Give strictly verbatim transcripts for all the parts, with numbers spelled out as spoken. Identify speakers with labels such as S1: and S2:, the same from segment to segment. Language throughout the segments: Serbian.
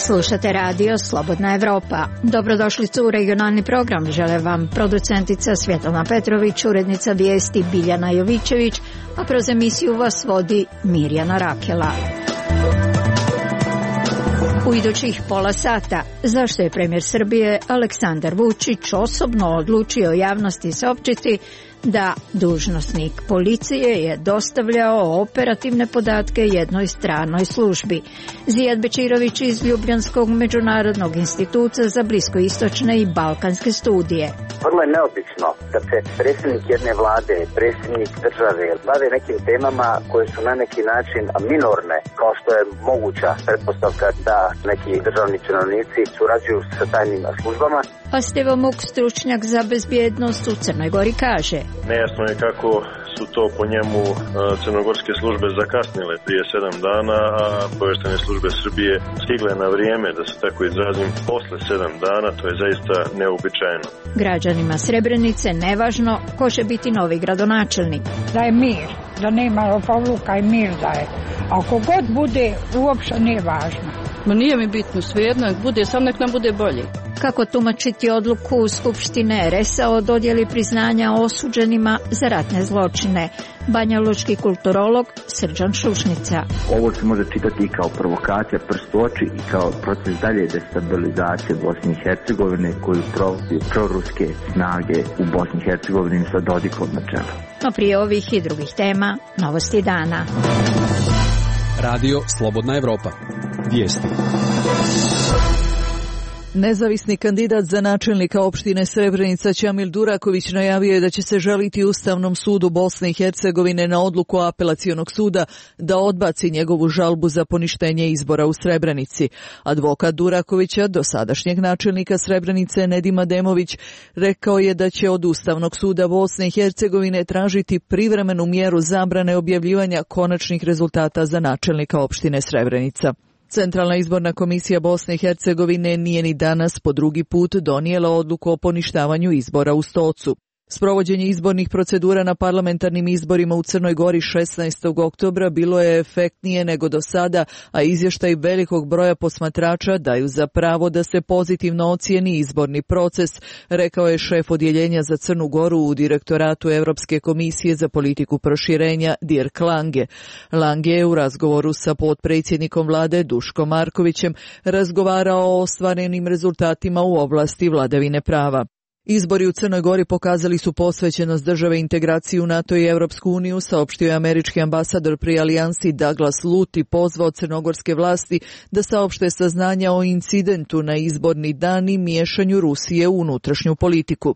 S1: Slušate radio Slobodna Evropa. Dobrodošlicu u regionalni program. Žele vam producentica Svjetlana Petrović, urednica vijesti Biljana Jovićević, a kroz emisiju vas vodi Mirjana Rakela. U idućih pola sata, zašto je premijer Srbije Aleksandar Vučić osobno odlučio javnosti saopćiti da dužnosnik policije je dostavljao operativne podatke jednoj stranoj službi. Zijad Bečirović iz Ljubljanskog međunarodnog instituta za bliskoistočne i balkanske studije.
S2: Vrlo je neobično da se predsjednik jedne vlade, predsjednik države bave nekim temama koje su na neki način minorne, kao što je moguća pretpostavka da neki državni činovnici surađuju sa tajnim službama.
S1: A Stevo Muk, stručnjak za bezbjednost u Crnoj Gori, kaže:
S3: nejasno je kako su to po njemu crnogorske službe zakasnile prije sedam dana, a obavještajne službe Srbije stigle na vrijeme, da se tako izrazim, posle sedam dana. To je zaista neobičajeno.
S1: Građanima Srebrenice nevažno ko će biti novi gradonačelnik.
S4: Da je mir, da nema lopovluka i mir da je. Ako god bude, uopšte nije važno.
S5: Ma nije mi bitno, svejedno, bude, sam nek nam bude bolje.
S1: Kako tumačiti odluku Skupštine er es a o dodjeli priznanja osuđenima za ratne zločine? Banjalučki kulturolog Srđan Šušnica.
S6: Ovo se može čitati i kao provokacija, prst u oči, i kao proces dalje destabilizacije Bosne i Hercegovine koju provodi proruske snage u Bosni i Hercegovini sa Dodikom na čelu.
S1: No prije ovih i drugih tema, novosti dana.
S7: Radio Slobodna Evropa. Vijesti.
S8: Nezavisni kandidat za načelnika opštine Srebrenica Ćamil Duraković najavio je da će se žaliti Ustavnom sudu Bosne i Hercegovine na odluku apelacionog suda da odbaci njegovu žalbu za poništenje izbora u Srebrenici. Advokat Durakovića, dosadašnjeg načelnika Srebrenice Nedim Ademović, rekao je da će od Ustavnog suda Bosne i Hercegovine tražiti privremenu mjeru zabrane objavljivanja konačnih rezultata za načelnika opštine Srebrenica. Centralna izborna komisija Bosne i Hercegovine nije ni danas po drugi put donijela odluku o poništavanju izbora u Stocu. Sprovođenje izbornih procedura na parlamentarnim izborima u Crnoj Gori šesnaestog oktobra bilo je efektnije nego do sada, a izvještaj velikog broja posmatrača daju za pravo da se pozitivno ocijeni izborni proces, rekao je šef odjeljenja za Crnu Goru u direktoratu Europske komisije za politiku proširenja Dirk Lange. Lange je u razgovoru sa potpredsjednikom vlade Duškom Markovićem razgovarao o ostvarenim rezultatima u oblasti vladavine prava. Izbori u Crnoj Gori pokazali su posvećenost države integraciji u NATO i Europsku uniju, saopštio je američki ambasador pri alijansi Douglas Lute i pozvao crnogorske vlasti da saopšte saznanja o incidentu na izborni dan i miješanju Rusije u unutrašnju politiku.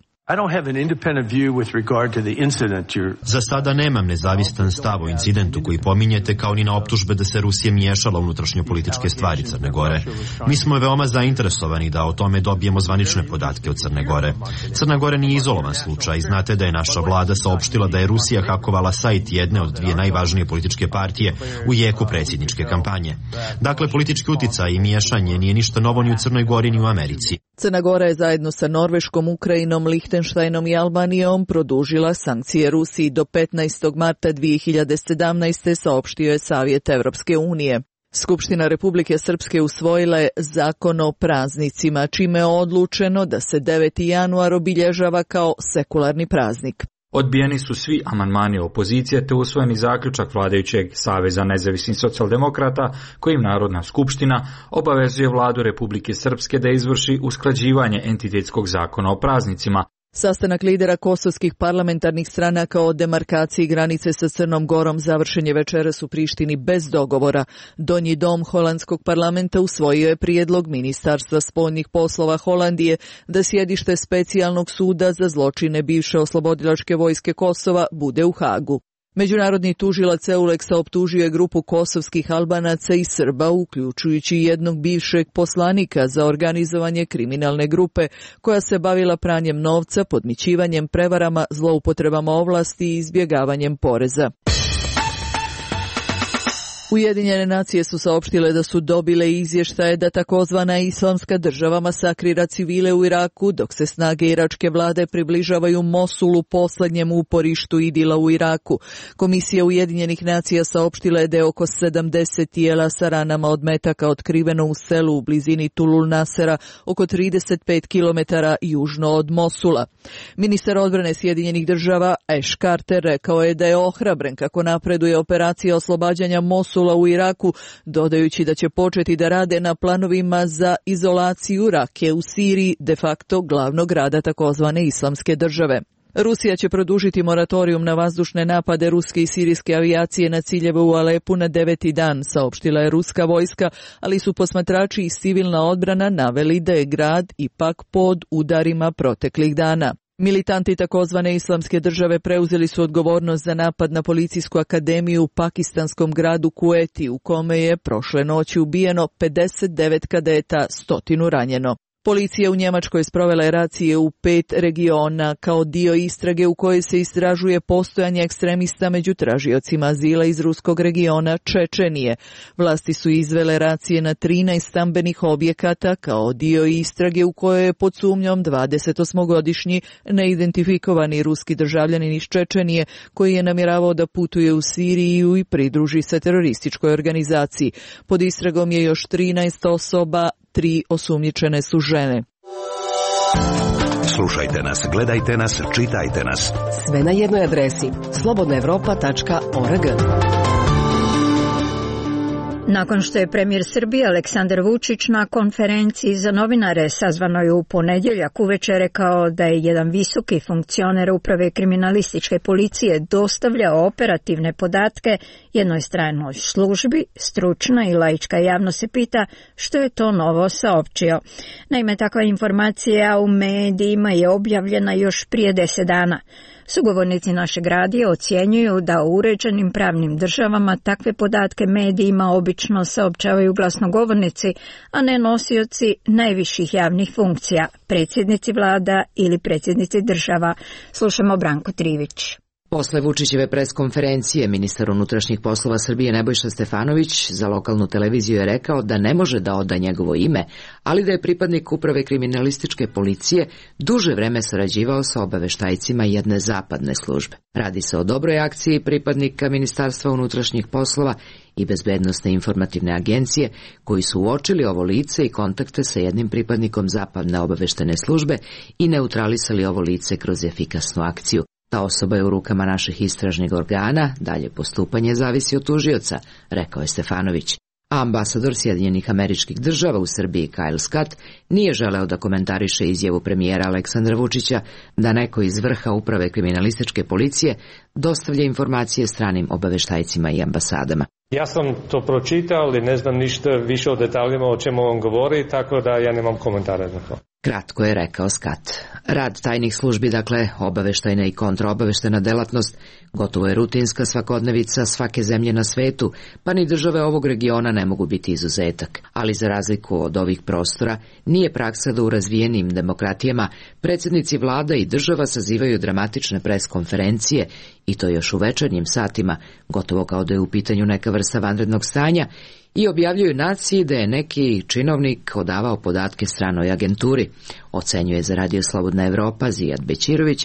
S9: Za sada nemam nezavistan stav o incidentu koji pominjete, kao ni na optužbe da se Rusija miješala u unutrašnje političke stvari Crne Gore. Mi smo veoma zainteresovani da o tome dobijemo zvanične podatke od Crne Gore. Crna Gora nije izolovan slučaj. Znate da je naša vlada saopštila da je Rusija hakovala sajt jedne od dvije najvažnije političke partije u jeku predsjedničke kampanje. Dakle, politički uticaj i miješanje nije ništa novo ni u Crnoj Gori ni u Americi.
S8: Crna Gora je zajedno sa Norveškom, Ukrajinom, Lihtenštajnom i Albanijom produžila sankcije Rusiji do petnaestog marta dvije hiljade sedamnaeste. saopštio je Savjet Evropske unije. Skupština Republike Srpske usvojila je zakon o praznicima, čime je odlučeno da se deveti januar obilježava kao sekularni praznik.
S10: Odbijeni su svi amandmani opozicije te usvojeni zaključak vladajućeg Saveza nezavisnih socijaldemokrata kojim Narodna skupština obavezuje vladu Republike Srpske da izvrši usklađivanje entitetskog zakona o praznicima.
S8: Sastanak lidera kosovskih parlamentarnih stranaka o demarkaciji granice sa Crnom Gorom završen je večeras u Prištini bez dogovora. Donji dom holandskog parlamenta usvojio je prijedlog Ministarstva spoljnih poslova Holandije da sjedište specijalnog suda za zločine bivše oslobodilačke vojske Kosova bude u Hagu. Međunarodni tužilac Euleksa optužio je grupu kosovskih Albanaca i Srba, uključujući jednog bivšeg poslanika, za organizovanje kriminalne grupe koja se bavila pranjem novca, podmićivanjem, prevarama, zloupotrebama ovlasti i izbjegavanjem poreza. Ujedinjene nacije su saopštile da su dobile izvještaje da takozvana islamska država masakrira civile u Iraku, dok se snage iračke vlade približavaju Mosulu, poslednjem uporištu Idila u Iraku. Komisija Ujedinjenih nacija saopštila je da je oko sedamdeset tijela sa ranama od metaka otkriveno u selu u blizini Tulul Nasera, oko trideset pet kilometara južno od Mosula. Ministar odbrane Sjedinjenih država Ash Carter rekao je da je ohrabren kako napreduje operacija oslobađanja Mosula u Iraku, dodajući da će početi da rade na planovima za izolaciju Rake u Siriji, de facto glavnog grada takozvane islamske države. Rusija će produžiti moratorijum na vazdušne napade ruske i sirijske avijacije na ciljeve u Alepu na deveti dan, saopštila je ruska vojska, ali su posmatrači i civilna odbrana naveli da je grad ipak pod udarima proteklih dana. Militanti takozvane islamske države preuzeli su odgovornost za napad na policijsku akademiju u pakistanskom gradu Kueti, u kome je prošle noći ubijeno pedeset devet kadeta, stotinu ranjeno. Policija u Njemačkoj sprovela je racije u pet regiona kao dio istrage u kojoj se istražuje postojanje ekstremista među tražiocima azila iz ruskog regiona Čečenije. Vlasti su izvele racije na trinaest stambenih objekata kao dio istrage u kojoj je pod sumnjom dvadesetosmogodišnji neidentifikovani ruski državljanin iz Čečenije koji je namjeravao da putuje u Siriju i pridruži se terorističkoj organizaciji. Pod istragom je još trinaest osoba, tri osumnjičene su žene.
S11: Slušajte nas, gledajte nas, čitajte nas.
S12: Sve na jednoj adresi slobodna evropa tačka org.
S1: Nakon što je premijer Srbije Aleksandar Vučić na konferenciji za novinare sazvanoj u ponedjeljak uveče rekao da je jedan visoki funkcioner uprave kriminalističke policije dostavljao operativne podatke jednoj stranoj službi, stručna i laička javnost se pita što je to novo saopćio. Naime, takva informacija u medijima je objavljena još prije deset dana. Sugovornici našeg radija ocjenjuju da u uređenim pravnim državama takve podatke medijima obično saopćavaju glasnogovornici, a ne nosioci najviših javnih funkcija, predsjednici vlada ili predsjednici država. Slušamo Branko Trivić.
S13: Posle Vučićeve preskonferencije, ministar unutrašnjih poslova Srbije Nebojša Stefanović za lokalnu televiziju je rekao da ne može da oda njegovo ime, ali da je pripadnik uprave kriminalističke policije duže vreme sarađivao sa obaveštajcima jedne zapadne službe. Radi se o dobroj akciji pripadnika Ministarstva unutrašnjih poslova i Bezbednosne informativne agencije koji su uočili ovo lice i kontakte sa jednim pripadnikom zapadne obaveštene službe i neutralisali ovo lice kroz efikasnu akciju. Ta osoba je u rukama naših istražnih organa, dalje postupanje zavisi od tužioca, rekao je Stefanović. A ambasador Sjedinjenih Američkih Država u Srbiji Kyle Scott nije želeo da komentariše izjavu premijera Aleksandra Vučića da neko iz vrha uprave kriminalističke policije dostavlja informacije stranim obaveštajcima i ambasadama.
S14: Ja sam to pročitao, ali ne znam ništa više o detaljima o čemu on govori, tako da ja nemam komentara na to.
S13: Kratko je rekao Scott. Rad tajnih službi, dakle obaveštajna i kontraobaveštena delatnost, gotovo je rutinska svakodnevica svake zemlje na svetu, pa ni države ovog regiona ne mogu biti izuzetak. Ali za razliku od ovih prostora, nije praksa da u razvijenim demokratijama predsjednici vlada i država sazivaju dramatične preskonferencije i to još u večernjim satima, gotovo kao da je u pitanju neka vrsta vanrednog stanja, i objavljuju naciji da je neki činovnik odavao podatke stranoj agenturi, ocenjuje za Radio Slobodna Evropa Zijad Bećirović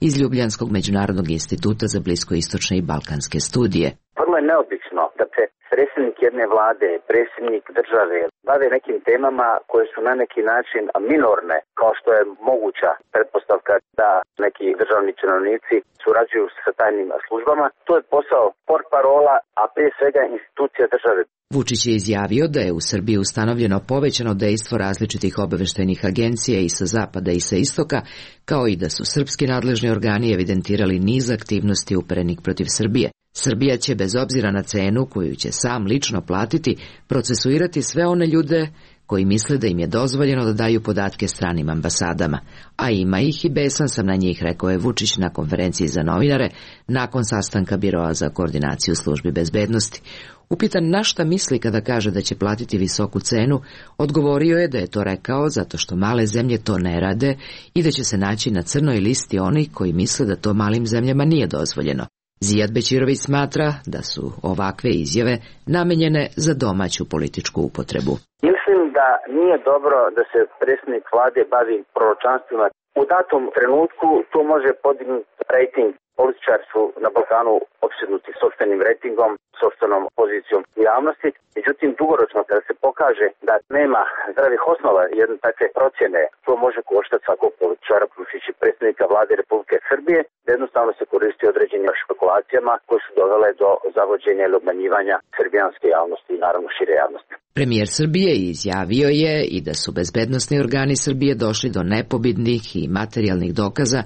S13: iz Ljubljanskog međunarodnog instituta za bliskoistočne i balkanske studije.
S2: Vrlo je neobično da se predsjednik jedne vlade, predsjednik države bave nekim temama koje su na neki način minorne, kao što je moguća pretpostavka da neki državni činovnici surađuju sa tajnim službama. To je posao portparola, a prije svega institucija države.
S13: Vučić je izjavio da je u Srbiji ustanovljeno povećano dejstvo različitih obaveštajnih agencija i sa zapada i sa istoka, kao i da su srpski nadležni organi evidentirali niz aktivnosti uperenih protiv Srbije. Srbija će, bez obzira na cenu koju će sam lično platiti, procesuirati sve one ljude koji misle da im je dozvoljeno da daju podatke stranim ambasadama. A ima ih i besan sam na njih, rekao je Vučić na konferenciji za novinare nakon sastanka Biroa za koordinaciju službi bezbednosti. Upitan na šta misli kada kaže da će platiti visoku cenu, odgovorio je da je to rekao zato što male zemlje to ne rade i da će se naći na crnoj listi onih koji misle da to malim zemljama nije dozvoljeno. Zijad Bećirović smatra da su ovakve izjave namenjene za domaću političku upotrebu.
S2: Mislim da nije dobro da se predsjednik vlade bavi proročanstvima. U datom trenutku to može podignuti rejting. Političari su na Balkanu opsjednuti sopstvenim rejtingom, sopstvenom pozicijom u javnosti. Međutim, dugoročno kada se pokaže da nema zdravih osnova jedne takve procjene, to može koštati svakog političara, uključujući predsjednika vlade Republike Srbije, da jednostavno se koristi određenim špekulacijama koje su dovele do zavođenja ili obmanjivanja srbijanske javnosti i naravno šire javnosti.
S13: Premijer Srbije izjavio je i da su bezbednosni organi Srbije došli do nepobitnih i materijalnih dokaza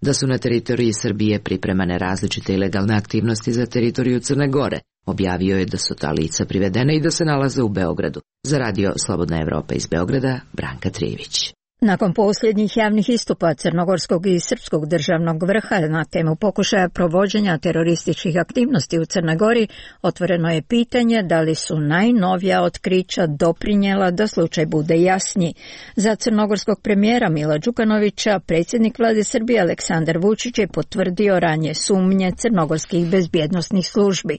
S13: da su na teritoriji Srbije pripremane različite ilegalne aktivnosti za teritoriju Crne Gore. Objavio je da su ta lica privedene i da se nalaze u Beogradu. Za radio Slobodna Evropa iz Beograda, Branka Trijević.
S1: Nakon posljednjih javnih istupa crnogorskog i srpskog državnog vrha na temu pokušaja provođenja terorističkih aktivnosti u Crnoj Gori, otvoreno je pitanje da li su najnovija otkrića doprinjela da slučaj bude jasniji. Za crnogorskog premijera Mila Đukanovića, predsjednik vlade Srbije Aleksandar Vučić je potvrdio ranije sumnje crnogorskih bezbjednosnih službi.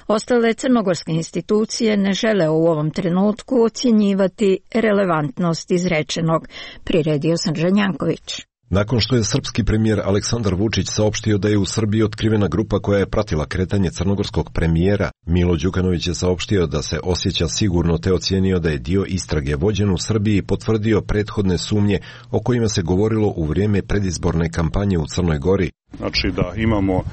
S1: Ostale crnogorske institucije ne žele u ovom trenutku ocjenjivati relevantnost izrečenog. Priredio Srđan Janković.
S15: Nakon što je srpski premijer Aleksandar Vučić saopštio da je u Srbiji otkrivena grupa koja je pratila kretanje crnogorskog premijera, Milo Đukanović je saopštio da se osjeća sigurno te ocijenio da je dio istrage vođen u Srbiji i potvrdio prethodne sumnje o kojima se govorilo u vrijeme predizborne kampanje u Crnoj Gori.
S16: Znači da imamo uh,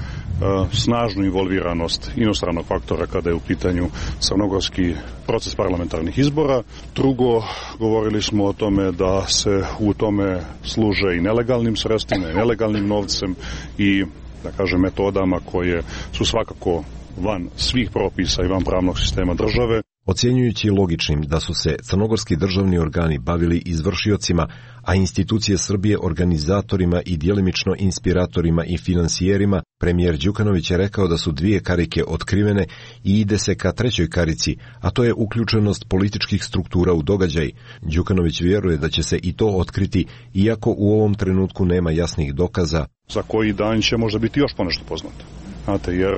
S16: snažnu involviranost inostranog faktora kada je u pitanju crnogorski proces parlamentarnih izbora. Drugo, govorili smo o tome da se u tome služe i nelegalnim sredstvima, i nelegalnim novcem i, da kažem, metodama koje su svakako van svih propisa i van pravnog sistema države.
S15: Ocjenjujući logičnim da su se crnogorski državni organi bavili izvršiocima, a institucije Srbije organizatorima i djelimično inspiratorima i finansijerima, premijer Đukanović je rekao da su dvije karike otkrivene i ide se ka trećoj karici, a to je uključenost političkih struktura u događaj. Đukanović vjeruje da će se i to otkriti, iako u ovom trenutku nema jasnih dokaza.
S16: Za koji dan će možda biti još ponešto poznato. Znate, jer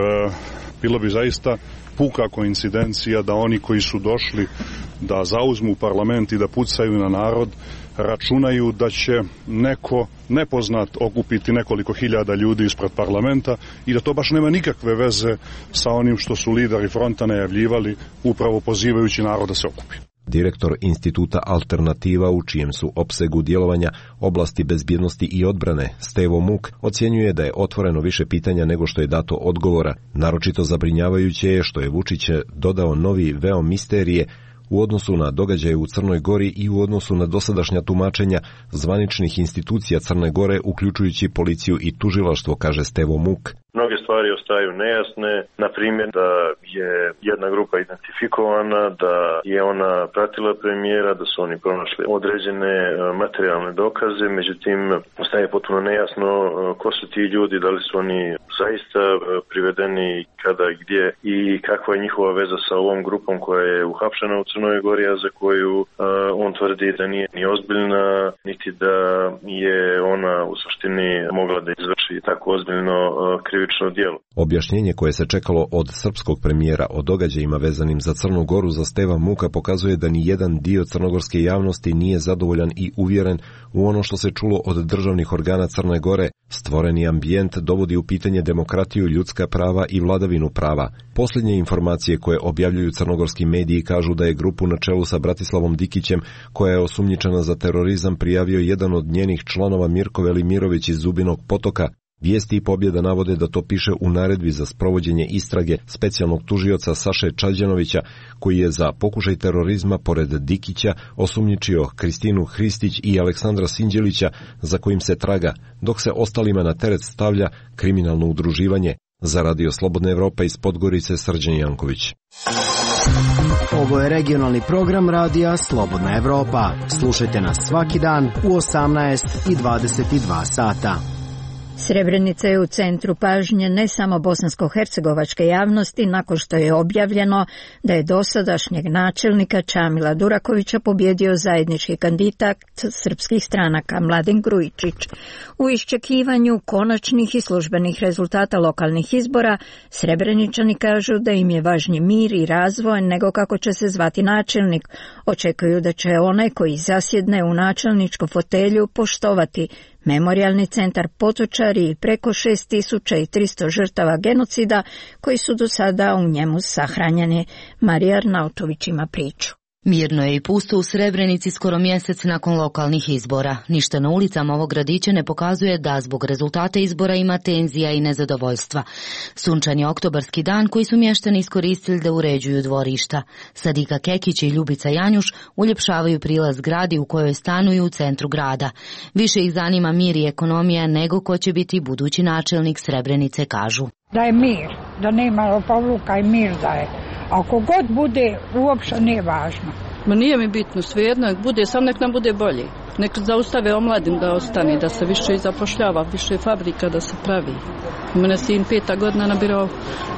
S16: bilo bi zaista puka koincidencija da oni koji su došli da zauzmu parlament i da pucaju na narod računaju da će neko nepoznat okupiti nekoliko hiljada ljudi ispred parlamenta i da to baš nema nikakve veze sa onim što su lideri fronta najavljivali, upravo pozivajući narod da se okupi.
S15: Direktor instituta Alternativa, u čijem su opsegu djelovanja oblasti bezbjednosti i odbrane, Stevo Muk, ocjenjuje da je otvoreno više pitanja nego što je dato odgovora. Naročito zabrinjavajuće je što je Vučić dodao novi veo misterije u odnosu na događaje u Crnoj Gori i u odnosu na dosadašnja tumačenja zvaničnih institucija Crne Gore, uključujući policiju i tužilaštvo, kaže Stevo Muk.
S3: Mnoge stvari ostaju nejasne, na primjer da je jedna grupa identifikovana, da je ona pratila premijera, da su oni pronašli određene materijalne dokaze, međutim ostaje potpuno nejasno ko su ti ljudi, da li su oni zaista privedeni, kada, gdje i kakva je njihova veza sa ovom grupom koja je uhapšena u Crnoj Gori, a za koju uh, on tvrdi da nije ni ozbiljna, niti da je ona u suštini mogla da izvrši tako ozbiljno uh, krivično djelo.
S15: Objašnjenje koje se čekalo od srpskog premijera o događajima vezanim za Crnu Goru za Steva Muka pokazuje da ni jedan dio crnogorske javnosti nije zadovoljan i uvjeren u ono što se čulo od državnih organa Crne Gore. Stvoreni ambijent dovodi u pitanje demokratiju, ljudska prava i vladavinu prava. Posljednje informacije koje objavljuju crnogorski mediji kažu da je grupu na čelu sa Bratislavom Dikićem, koja je osumnjičena za terorizam, prijavio jedan od njenih članova Mirko Velimirović iz Zubinog Potoka. Vijesti i Pobjeda navode da to piše u naredbi za sprovođenje istrage specijalnog tužioca Saše Čađanovića, koji je za pokušaj terorizma pored Dikića osumnjičio Kristinu Hristić i Aleksandra Sinđelića, za kojim se traga, dok se ostalima na teret stavlja kriminalno udruživanje. Za radio Slobodna Evropa iz Podgorice, Srđan Janković.
S17: Ovo je regionalni program radija Slobodna Evropa. Slušajte nas svaki dan u osamnaest i dvadeset dva sata.
S1: Srebrenica je u centru pažnje ne samo bosansko-hercegovačke javnosti nakon što je objavljeno da je dosadašnjeg načelnika Čamila Durakovića pobjedio zajednički kandidat srpskih stranaka Mladen Grujičić. U iščekivanju konačnih i službenih rezultata lokalnih izbora, Srebreničani kažu da im je važniji mir i razvoj nego kako će se zvati načelnik. Očekuju da će onaj koji zasjedne u načelničku fotelju poštovati Memorijalni centar Potočari i preko šest tisuća tristo žrtava genocida koji su do sada u njemu sahranjeni. Marija Arnautović ima priču.
S18: Mirno je i pusto u Srebrenici skoro mjesec nakon lokalnih izbora. Ništa na ulicama ovog gradića ne pokazuje da zbog rezultata izbora ima tenzija i nezadovoljstva. Sunčan je oktobarski dan koji su mještani iskoristili da uređuju dvorišta. Sadika Kekić i Ljubica Janjuš uljepšavaju prilaz gradi u kojoj stanuju u centru grada. Više ih zanima mir i ekonomija nego ko će biti budući načelnik Srebrenice, kažu.
S4: Da je mir, da nema lopovluka i mir da je. Ako god bude, uopšte nije važno.
S5: Ma nije mi bitno, svejedno, nek bude, sam nek nam bude bolje. Nek zaustave omladin da ostane, da se više zapošljava, više fabrika da se pravi. Mene sin peta godina nabirao,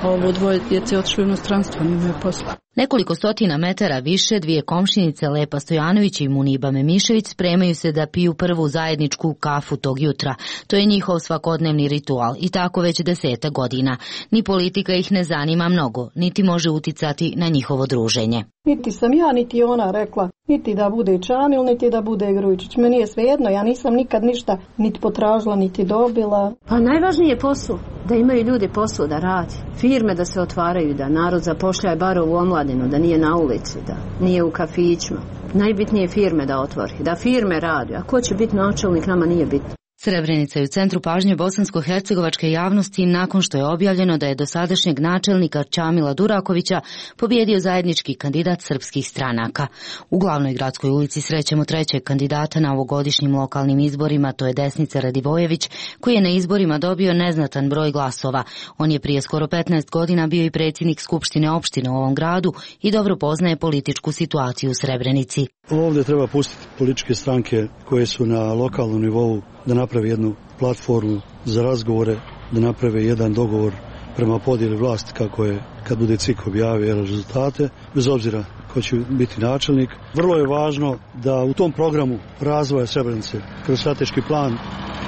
S5: ovo dvoje djece otišli u inostranstvo, nimaju posla.
S18: Nekoliko stotina metara više dvije komšinice Lepa Stojanović i Muniba Memišević spremaju se da piju prvu zajedničku kafu tog jutra. To je njihov svakodnevni ritual i tako već deseta godina. Ni politika ih ne zanima mnogo, niti može uticati na njihovo druženje.
S19: Niti sam ja, niti ona rekla, niti da bude Čamil, niti da bude Grujičić. Meni je svejedno, ja nisam nikad ništa niti potražila, niti dobila.
S20: Pa najvažnije je posao, da imaju ljudi posao da radi. Firme da se otvaraju, da narod zapošljaje bar u omladinu, da nije na ulici, da nije u kafićima. Najbitnije je firme da otvori, da firme radi. A ko će biti načelnik, nama nije bitno.
S18: Srebrenica je u centru pažnje bosansko-hercegovačke javnosti nakon što je objavljeno da je dosadašnjeg načelnika Čamila Durakovića pobjedio zajednički kandidat srpskih stranaka. U glavnoj gradskoj ulici srećemo trećeg kandidata na ovogodišnjim lokalnim izborima, to je Desnica Radivojević, koji je na izborima dobio neznatan broj glasova. On je prije skoro petnaest godina bio i predsjednik Skupštine opštine u ovom gradu i dobro poznaje političku situaciju u Srebrenici.
S21: Ovdje treba pustiti političke stranke koje su na lokalnom nivou da napravi jednu platformu za razgovore, da naprave jedan dogovor prema podjeli vlasti kako je kad bude C I K objavio rezultate, bez obzira ko će biti načelnik. Vrlo je važno da u tom programu razvoja Srebrenice, kroz strateški plan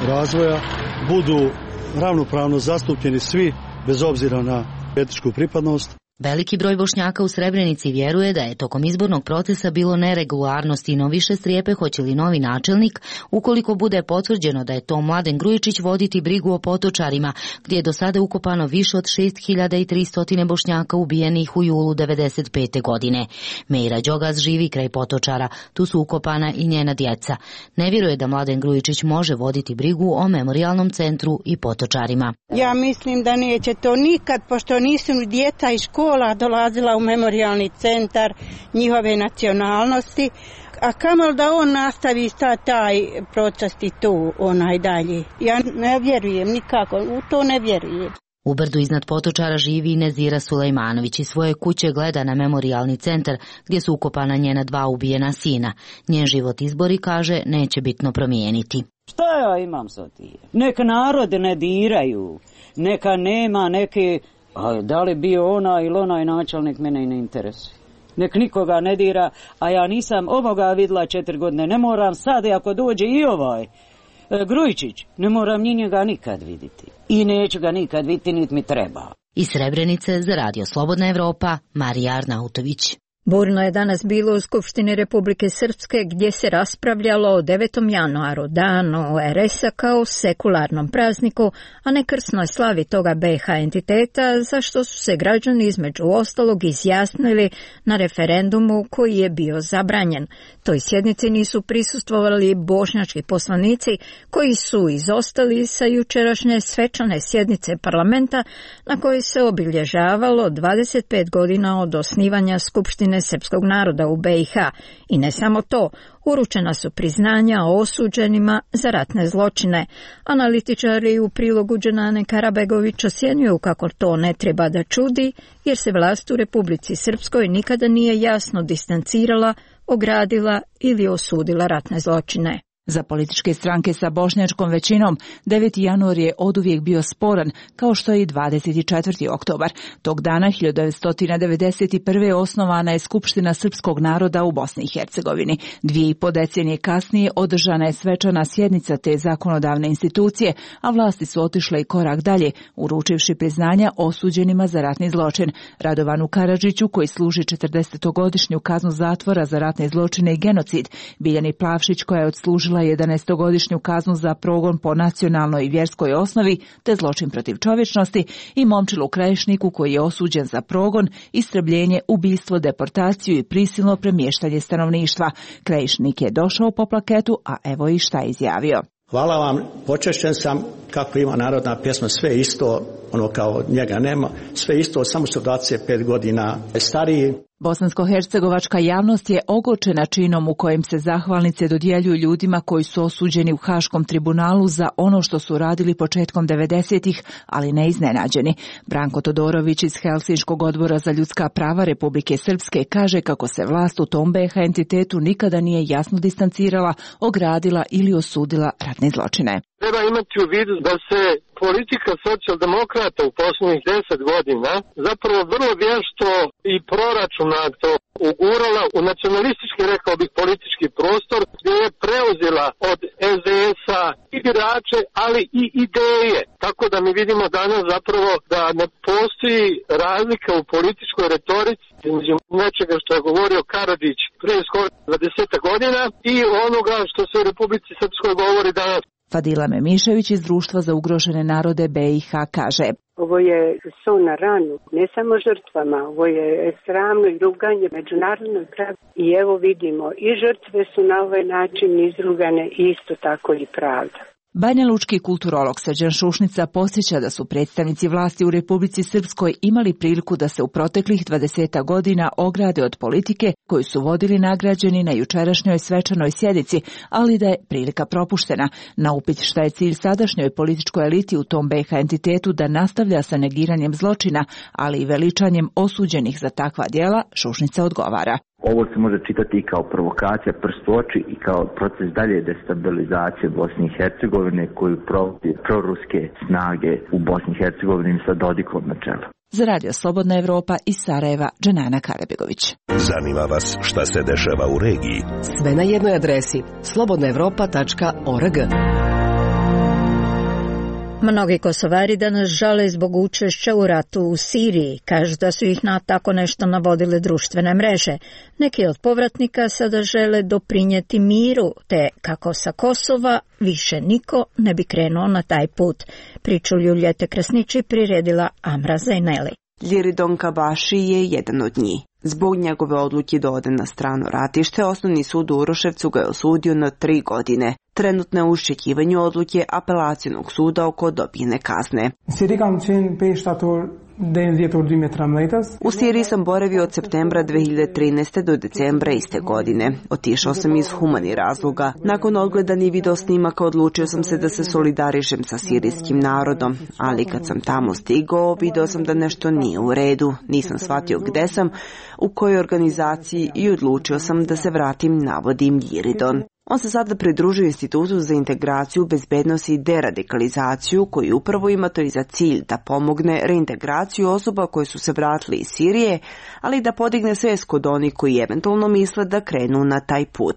S21: razvoja, budu ravnopravno zastupljeni svi, bez obzira na etničku pripadnost.
S18: Veliki broj Bošnjaka u Srebrenici vjeruje da je tokom izbornog procesa bilo neregularnosti, no više strepe hoće li novi načelnik, ukoliko bude potvrđeno da je to Mladen Grujičić, voditi brigu o Potočarima, gdje je do sada ukopano više od šest hiljada tristo Bošnjaka ubijenih u julu devedeset pete godine. Meira Đogaz živi kraj Potočara, tu su ukopana i njena djeca. Ne vjeruje da Mladen Grujičić može voditi brigu o memorijalnom centru i Potočarima.
S22: Ja mislim da neće to nikad, pošto nisu djeca iz škola dolazila u memorijalni centar njihove nacionalnosti, a kamol da on nastavi sta taj proces i tu onaj dalje. Ja ne vjerujem nikako, u to ne vjerujem.
S18: U brdu iznad Potočara živi Nezira Sulejmanović i svoje kuće gleda na memorijalni centar gdje su ukopana njena dva ubijena sina. Njen život izbori, kaže, neće bitno promijeniti.
S23: Šta ja imam sa tim? Neka narod ne diraju, neka nema neke... A da li bio ona ili onaj načelnik, mene i ne interesuje. Nek nikoga ne dira, a ja nisam ovoga vidjela četiri godine, ne moram sad, ako dođe i ovaj e, Grujičić, ne moram ni njega nikad vidjeti. I neću ga nikad vidjeti, niti mi treba.
S18: Iz Srebrenice za Radio Slobodna Evropa, Marija Arnautović.
S1: Burno je danas bilo u Skupštini Republike Srpske gdje se raspravljalo o devetom januaru, danu er es a kao sekularnom prazniku, a ne krsnoj slavi toga be ha entiteta, za što su se građani između ostalog izjasnili na referendumu koji je bio zabranjen. Toj sjednici nisu prisustvovali bošnjački poslanici koji su izostali sa jučerašnje svečane sjednice parlamenta na kojoj se obilježavalo dvadeset pet godina od osnivanja Skupštine srpskog naroda u be i ha. I ne samo to, uručena su priznanja o osuđenima za ratne zločine. Analitičari u prilogu Dženane Karabegović ocjenjuju kako to ne treba da čudi, jer se vlast u Republici Srpskoj nikada nije jasno distancirala, ogradila ili osudila ratne zločine.
S6: Za političke stranke sa bošnjačkom većinom, deveti januar je oduvijek bio sporan, kao što je i dvadeset četvrti oktobar. Tog dana hiljadu devetsto devedeset prve. osnovana je Skupština srpskog naroda u Bosni i Hercegovini. Dvije i po decenije kasnije održana je svečana sjednica te zakonodavne institucije, a vlasti su otišle i korak dalje, uručivši priznanja osuđenima za ratni zločin. Radovanu Karadžiću, koji služi četrdesetogodišnju kaznu zatvora za ratne zločine i genocid, Biljani Plavšić, koja je odslužila jedanaestogodišnju kaznu za progon po nacionalnoj i vjerskoj osnovi te zločin protiv čovječnosti, i Momčilu Krajišniku, koji je osuđen za progon, istrebljenje, ubistvo, deportaciju i prisilno premještanje stanovništva. Krajišnik je došao po plaketu, a evo i šta je izjavio.
S7: Hvala vam, počešćen sam, kako ima narodna pjesma, sve isto, ono kao njega nema, sve isto, samo su dvadeset pet godina stariji.
S6: Bosansko-hercegovačka javnost je ogorčena činom u kojem se zahvalnice dodjeljuju ljudima koji su osuđeni u Haškom tribunalu za ono što su radili početkom devedesetih, ali ne iznenađeni. Branko Todorović iz Helsinškog odbora za ljudska prava Republike Srpske kaže kako se vlast u tom be ha entitetu nikada nije jasno distancirala, ogradila ili osudila ratne zločine.
S9: Treba imati u vidu da se politika socijaldemokrata u posljednjih deset godina zapravo vrlo vješto i proračunato ugurala u nacionalistički, rekao bih, politički prostor, gdje je preuzela od es de es-a i birače, ali i ideje. Tako da mi vidimo danas zapravo da ne postoji razlika u političkoj retorici između nečega što je govorio Karadžić prije skoro dvadeset godina i onoga što se u Republici Srpskoj govori danas.
S6: Fadila Memišević iz Društva za ugrožene narode be i ha kaže:
S24: Ovo je so na ranu, ne samo žrtvama, ovo je sramno i ruganje međunarodnog prava. I evo vidimo, i žrtve su na ovaj način izrugane, isto tako i pravda.
S6: Banjalučki kulturolog Srđan Šušnica posjeća da su predstavnici vlasti u Republici Srpskoj imali priliku da se u proteklih dvadeset godina ograde od politike koju su vodili nagrađeni na jučerašnjoj svečanoj sjednici, ali da je prilika propuštena. Na upit šta je cilj sadašnjoj političkoj eliti u tom be ha entitetu da nastavlja sa negiranjem zločina, ali i veličanjem osuđenih za takva djela, Šušnica odgovara:
S25: Ovo se može čitati i kao provokacija, prst u oči, i kao proces dalje destabilizacije Bosne i Hercegovine koju provode proruske snage u Bosni i Hercegovini sa Dodikom na čelu.
S6: Za Radio Slobodna Evropa iz Sarajeva, Dženana Karabegović.
S11: Zanima vas šta se dešava u regiji?
S12: Sve na jednoj adresi slobodna evropa tačka org.
S1: Mnogi Kosovari danas žale zbog učešća u ratu u Siriji. Kažu da su ih na tako nešto navodile društvene mreže. Neki od povratnika sada žele doprinijeti miru, te kako sa Kosova više niko ne bi krenuo na taj put. Priču Ljuljete Krasnići priredila Amra Zajneli.
S26: Ljiridon Kabaši je jedan od njih. Zbog njegove odluke da ode na strano ratište, Osnovni sud u Uroševcu ga je osudio na tri godine. Trenutno je u iščekivanju odluke apelacionog suda oko dobijene kazne. U Siriji sam boravio od septembra dve hiljade trinaeste. do decembra iste godine. Otišao sam iz humanih razloga. Nakon odgledanih video snimaka odlučio sam se da se solidarišem sa sirijskim narodom, ali kad sam tamo stigao, video sam da nešto nije u redu. Nisam shvatio gde sam, u kojoj organizaciji, i odlučio sam da se vratim, navodim Ljiridon. On se sada pridružio Institutu za integraciju, bezbednost i deradikalizaciju, koji upravo ima to i za cilj da pomogne reintegraciju osoba koje su se vratili iz Sirije, ali da podigne svest kod onih koji eventualno misle da krenu na taj put.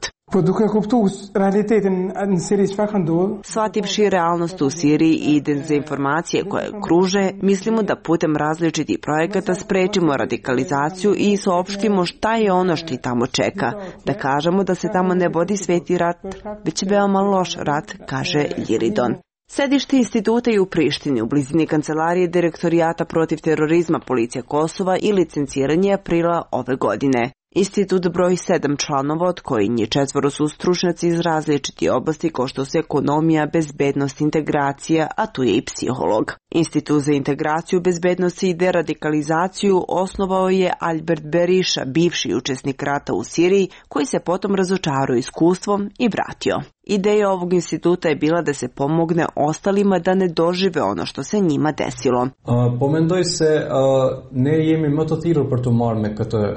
S26: Shvativši realnost u Siriji i dezinformacije koje kruže, mislimo da putem različitih projekata sprečimo radikalizaciju i saopštimo šta je ono što ih tamo čeka. Da kažemo da se tamo ne vodi sveti rat, već veoma loš rat, kaže Ljiridon. Sedište instituta je u Prištini, u blizini kancelarije Direktorijata protiv terorizma Policija Kosova i licenciranje aprila ove godine. Institut broji sedam članova, od kojih njih četvoro su stručnjaci iz različitih oblasti kao što su ekonomija, bezbednost, integracija, a tu je i psiholog. Institut za integraciju, bezbednost i deradikalizaciju osnovao je Albert Berisha, bivši učesnik rata u Siriji, koji se potom razočarao iskustvom i vratio. Ideja ovog instituta je bila da se pomogne ostalima da ne dožive ono što se njima desilo.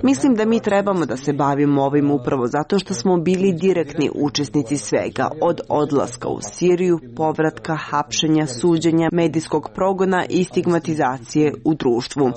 S26: Mislim da mi trebamo da se bavimo ovim upravo zato što smo bili direktni učesnici svega, od odlaska u Siriju, povratka, hapšenja, suđenja, medijskog progona i stigmatizacije u društvu.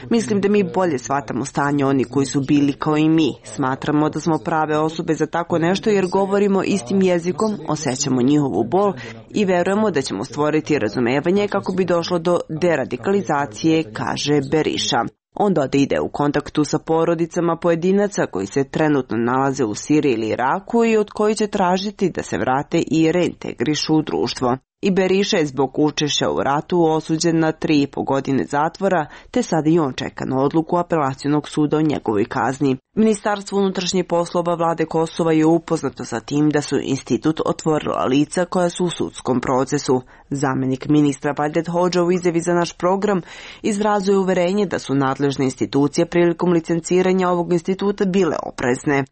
S26: Mislim da mi bolje shvatamo stanje oni koji su bili kao i mi. Smatramo da smo prave osobe za tako nešto jer govorimo istim jezikom, osjećamo njihovu bol i verujemo da ćemo stvoriti razumevanje kako bi došlo do deradikalizacije, kaže Berisha. On doda ide u kontaktu sa porodicama pojedinaca koji se trenutno nalaze u Siriji ili Iraku i od koji će tražiti da se vrate i reintegrišu u društvo. I Berisha je zbog učešća u ratu osuđen na tri i po godine zatvora, te sada i on čeka na odluku apelacionog suda o njegovoj kazni. Ministarstvo unutrašnjih poslova vlade Kosova je upoznato sa tim da su institut otvorila lica koja su u sudskom procesu. Zamenik ministra Valdet Hodža u izjavi za naš program izrazuje uverenje da su nadležne institucije prilikom licenciranja ovog instituta bile oprezne.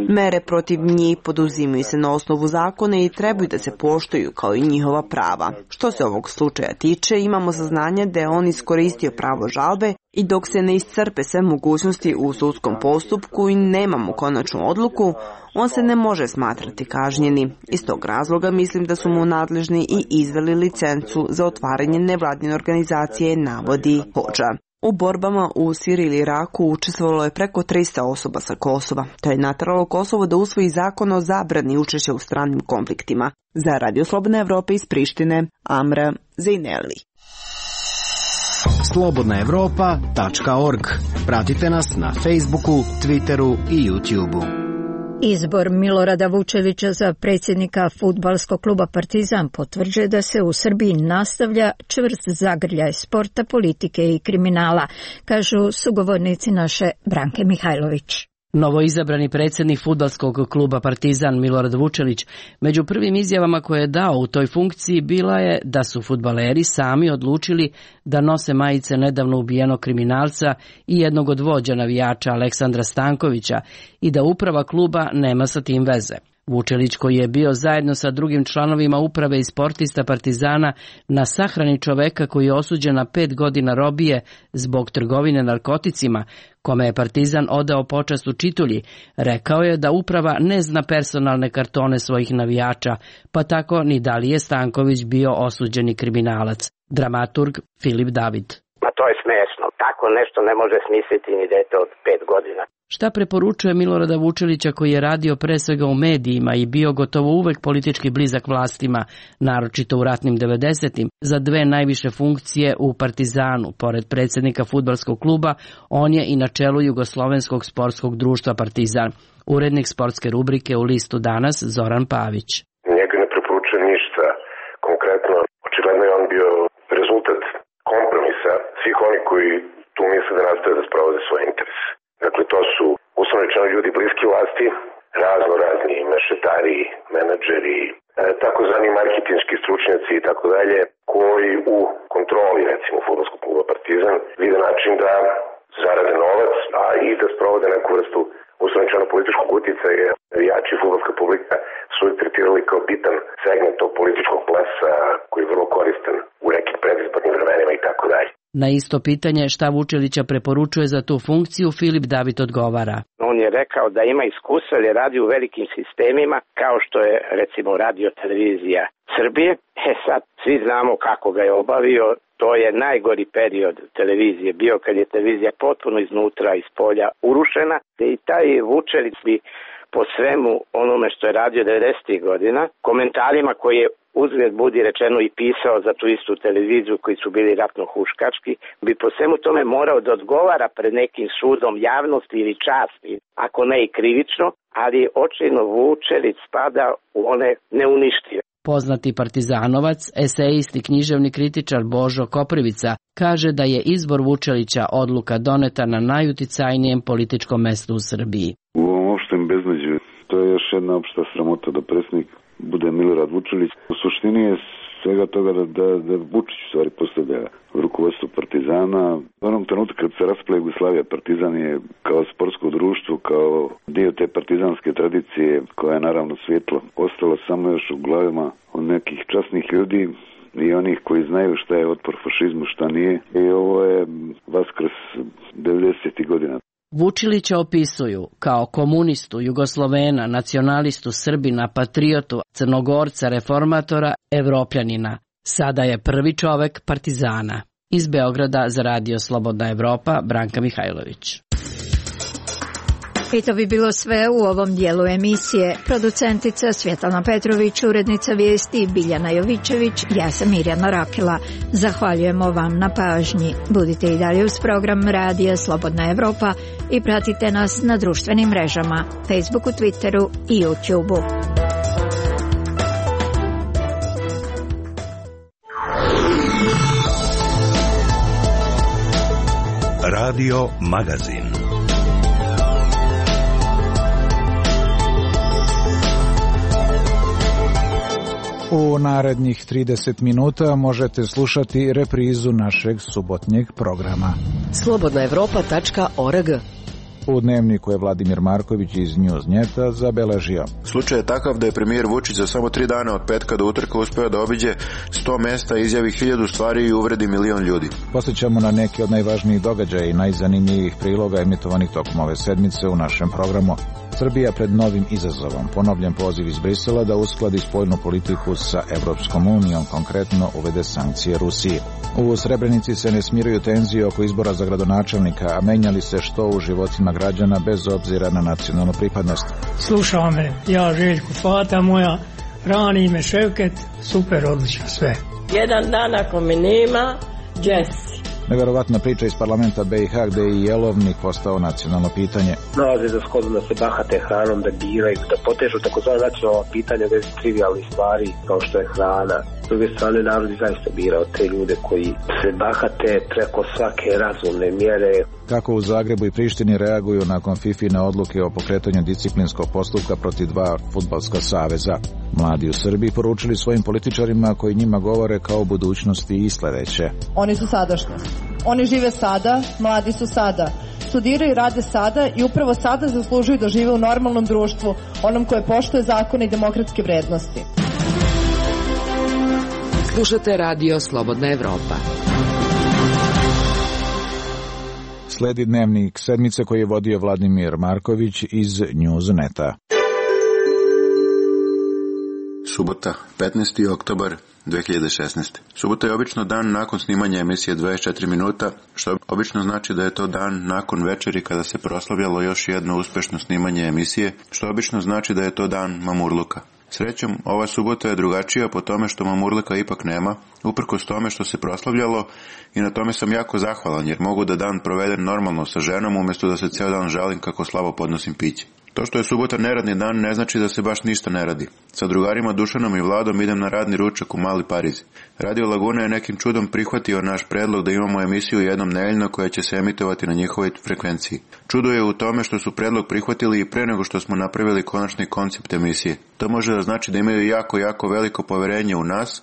S26: Mere protiv njih poduzimaju se na osnovu zakona i trebaju da se poštuju kao i njihova prava. Što se ovog slučaja tiče, imamo saznanje da je on iskoristio pravo žalbe i dok se ne iscrpe sve mogućnosti u sudskom postupku i nemamo konačnu odluku, on se ne može smatrati kažnjeni. Iz tog razloga mislim da su mu nadležni i izdali licencu za otvaranje nevladine organizacije, navodi Hodža. U borbama u Siriji ili Iraku učestvovalo je preko tristo osoba sa Kosova. To je nateralo Kosovo da usvoji zakon o zabrani učešća u stranim konfliktima. Za Radio Slobodna Evropa iz Prištine, Amra Zejneli.
S17: slobodna evropa tačka org. Pratite nas na Facebooku, Twitteru i YouTubeu.
S1: Izbor Milorada Vučevića za predsjednika fudbalskog kluba Partizan potvrđuje da se u Srbiji nastavlja čvrst zagrljaj sporta, politike i kriminala, kažu sugovornici naše Branke Mihajlović.
S2: Novoizabrani predsjednik fudbalskog kluba Partizan Milorad Vučelić među prvim izjavama koje je dao u toj funkciji bila je da su fudbaleri sami odlučili da nose majice nedavno ubijenog kriminalca i jednog od vođa navijača Aleksandra Stankovića i da uprava kluba nema sa tim veze. Vučelić, koji je bio zajedno sa drugim članovima uprave i sportista Partizana na sahrani čoveka koji je osuđen na pet godina robije zbog trgovine narkoticima, kome je Partizan odao počast u Čitulji, rekao je da uprava ne zna personalne kartone svojih navijača, pa tako ni da li je Stanković bio osuđeni kriminalac. Dramaturg Filip David.
S8: Ma to je smešno. Tako nešto ne može smisliti ni dete od pet godina.
S2: Šta preporučuje Milorada Vučelića, koji je radio pre svega u medijima i bio gotovo uvek politički blizak vlastima, naročito u ratnim devedesetim, za dve najviše funkcije u Partizanu? Pored predsjednika fudbalskog kluba, on je i na čelu Jugoslovenskog sportskog društva Partizan. Urednik sportske rubrike u listu Danas Zoran Pavić.
S10: Njega ne preporučuje ništa konkretno. Očigledno je on bio rezultat kompromisa svih oni koji tu misle da nastave da sprovode svoje interese. Dakle, to su uslovno rečeno ljudi bliski vlasti, razno razni mešetari, menadžeri, e, takozvani marketinški stručnjaci i tako dalje, koji u kontroli, recimo, fudbalskog kluba Partizan vide način da zarade novac, a i da sprovode neku vrstu uslovno rečeno političkog utjecaja. Navijači i fudbalska publika su ih tretirali kao bitan segment tog političkog plesa koji je vrlo koristan u nekim predizbornim vremenima i tako dalje.
S2: Na isto pitanje šta Vučelića preporučuje za tu funkciju, Filip David odgovara.
S8: On je rekao da ima iskustva jer radi u velikim sistemima kao što je recimo radio televizija Srbije. E sad svi znamo kako ga je obavio. To je najgori period televizije bio kad je televizija potpuno iznutra iz polja urušena. I taj Vučelić bi po svemu onome što je radio devedesetih godina, komentarima koje je uzgled budi rečeno i pisao za tu istu televiziju koji su bili ratno huškački, bi po svemu tome morao da odgovara pred nekim sudom javnosti ili časti, ako ne i krivično, ali očajno Vučelić spada u one neuništive.
S2: Poznati partizanovac, esejist i književni kritičar Božo Koprivica kaže da je izbor Vučelića odluka doneta na najuticajnijem političkom mestu u Srbiji.
S13: U ovom opštem beznađu to je još jedna opšta sramota da predsjednik bude Milorad Vučelić. U suštini je
S3: svega toga da, da, da Vučić u stvari postavlja rukovodstvo Partizana. U onom trenutku kad se raspala Jugoslavija, Partizan je kao sportsko društvo, kao dio te partizanske tradicije koja je naravno svjetlo ostala samo još u glavama od nekih časnih ljudi i onih koji znaju šta je otpor fašizmu, šta nije. I ovo je Vaskrs devedesetih godina.
S2: Vučilića opisuju kao komunistu, Jugoslovena, nacionalistu, Srbina, patriotu, Crnogorca, reformatora, Evropljanina. Sada je prvi čovek Partizana. Iz Beograda za Radio Slobodna Evropa, Branka Mihajlović.
S1: I to bi bilo sve u ovom dijelu emisije. Producentica Svjetlana Petrović, urednica vijesti Biljana Jovičević, ja sam Mirjana Rakela. Zahvaljujemo vam na pažnji. Budite i dalje uz program Radija Slobodna Evropa i pratite nas na društvenim mrežama, Facebooku, Twitteru i YouTubeu.
S11: Radio Magazin.
S4: U narednih trideset minuta možete slušati reprizu našeg subotnjeg programa.
S12: slobodna evropa tačka org.
S4: U dnevniku je Vladimir Marković iz Newsneta zabeležio.
S13: Slučaj je takav da je premijer Vučić za samo tri dana od petka do utorka uspeo da obiđe sto mesta, izjavi hiljadu stvari i uvredi milion ljudi.
S4: Posjećamo na neke od najvažnijih događaja i najzanimljivih priloga emitovanih tokom ove sedmice u našem programu. Srbija pred novim izazovom. Ponovljen poziv iz Brisela da uskladi spoljnu politiku sa Evropskom unijom, konkretno uvede sankcije Rusiji. U Srebrenici se ne smiruju tenzije oko izbora za gradonačelnika, a menjali se što u životima građana bez obzira na nacionalnu pripadnost.
S14: Slušao me, ja Željko Fata moja, rani me Ševket, super, odlično sve.
S15: Jedan dan ako me nema, Jesse.
S4: Neverovatna priča iz parlamenta B i H gde je i jelovnik postao nacionalno pitanje.
S16: Nalaze za shodno da se bahate hranom, da biraju, da potežu takozvana nacionalna pitanja bez trivialnih stvari kao što je hrana. S druge strane, narod je zaista birao te ljude koji se bahate preko svake razumne mjere.
S4: Kako u Zagrebu i Prištini reaguju nakon Fifine odluke o pokretanju disciplinskog postupka protiv dva fudbalska saveza. Mladi u Srbiji poručili svojim političarima koji njima govore kao o budućnosti i sledeće.
S27: Oni su sadašnjost. Oni žive sada, mladi su sada. Studiraju i rade sada i upravo sada zaslužuju da žive u normalnom društvu, onom koje poštuje zakone i demokratske vrednosti.
S12: Slušate Radio Slobodna Evropa.
S4: Sledi dnevnik sedmice koji je vodio Vladimir Marković iz Newsneta.
S13: Subota, petnaesti oktobar dve hiljade šesnaeste. Subota je obično dan nakon snimanja emisije dvadeset četiri minuta, što obično znači da je to dan nakon večeri kada se proslavljalo još jedno uspešno snimanje emisije, što obično znači da je to dan mamurluka. Srećom, ova subota je drugačija po tome što mamurluka ipak nema, uprkos tome što se proslavljalo, i na tome sam jako zahvalan jer mogu da dan provedem normalno sa ženom umjesto da se ceo dan žalim kako slabo podnosim piće. To što je subota neradni dan ne znači da se baš ništa ne radi. Sa drugarima Dušanom i Vladom idem na radni ručak u Mali Pariz. Radio Laguna je nekim čudom prihvatio naš predlog da imamo emisiju jednom nedeljno koja će se emitovati na njihovoj frekvenciji. Čudo je u tome što su predlog prihvatili i pre nego što smo napravili konačni koncept emisije. To može da znači da imaju jako, jako veliko poverenje u nas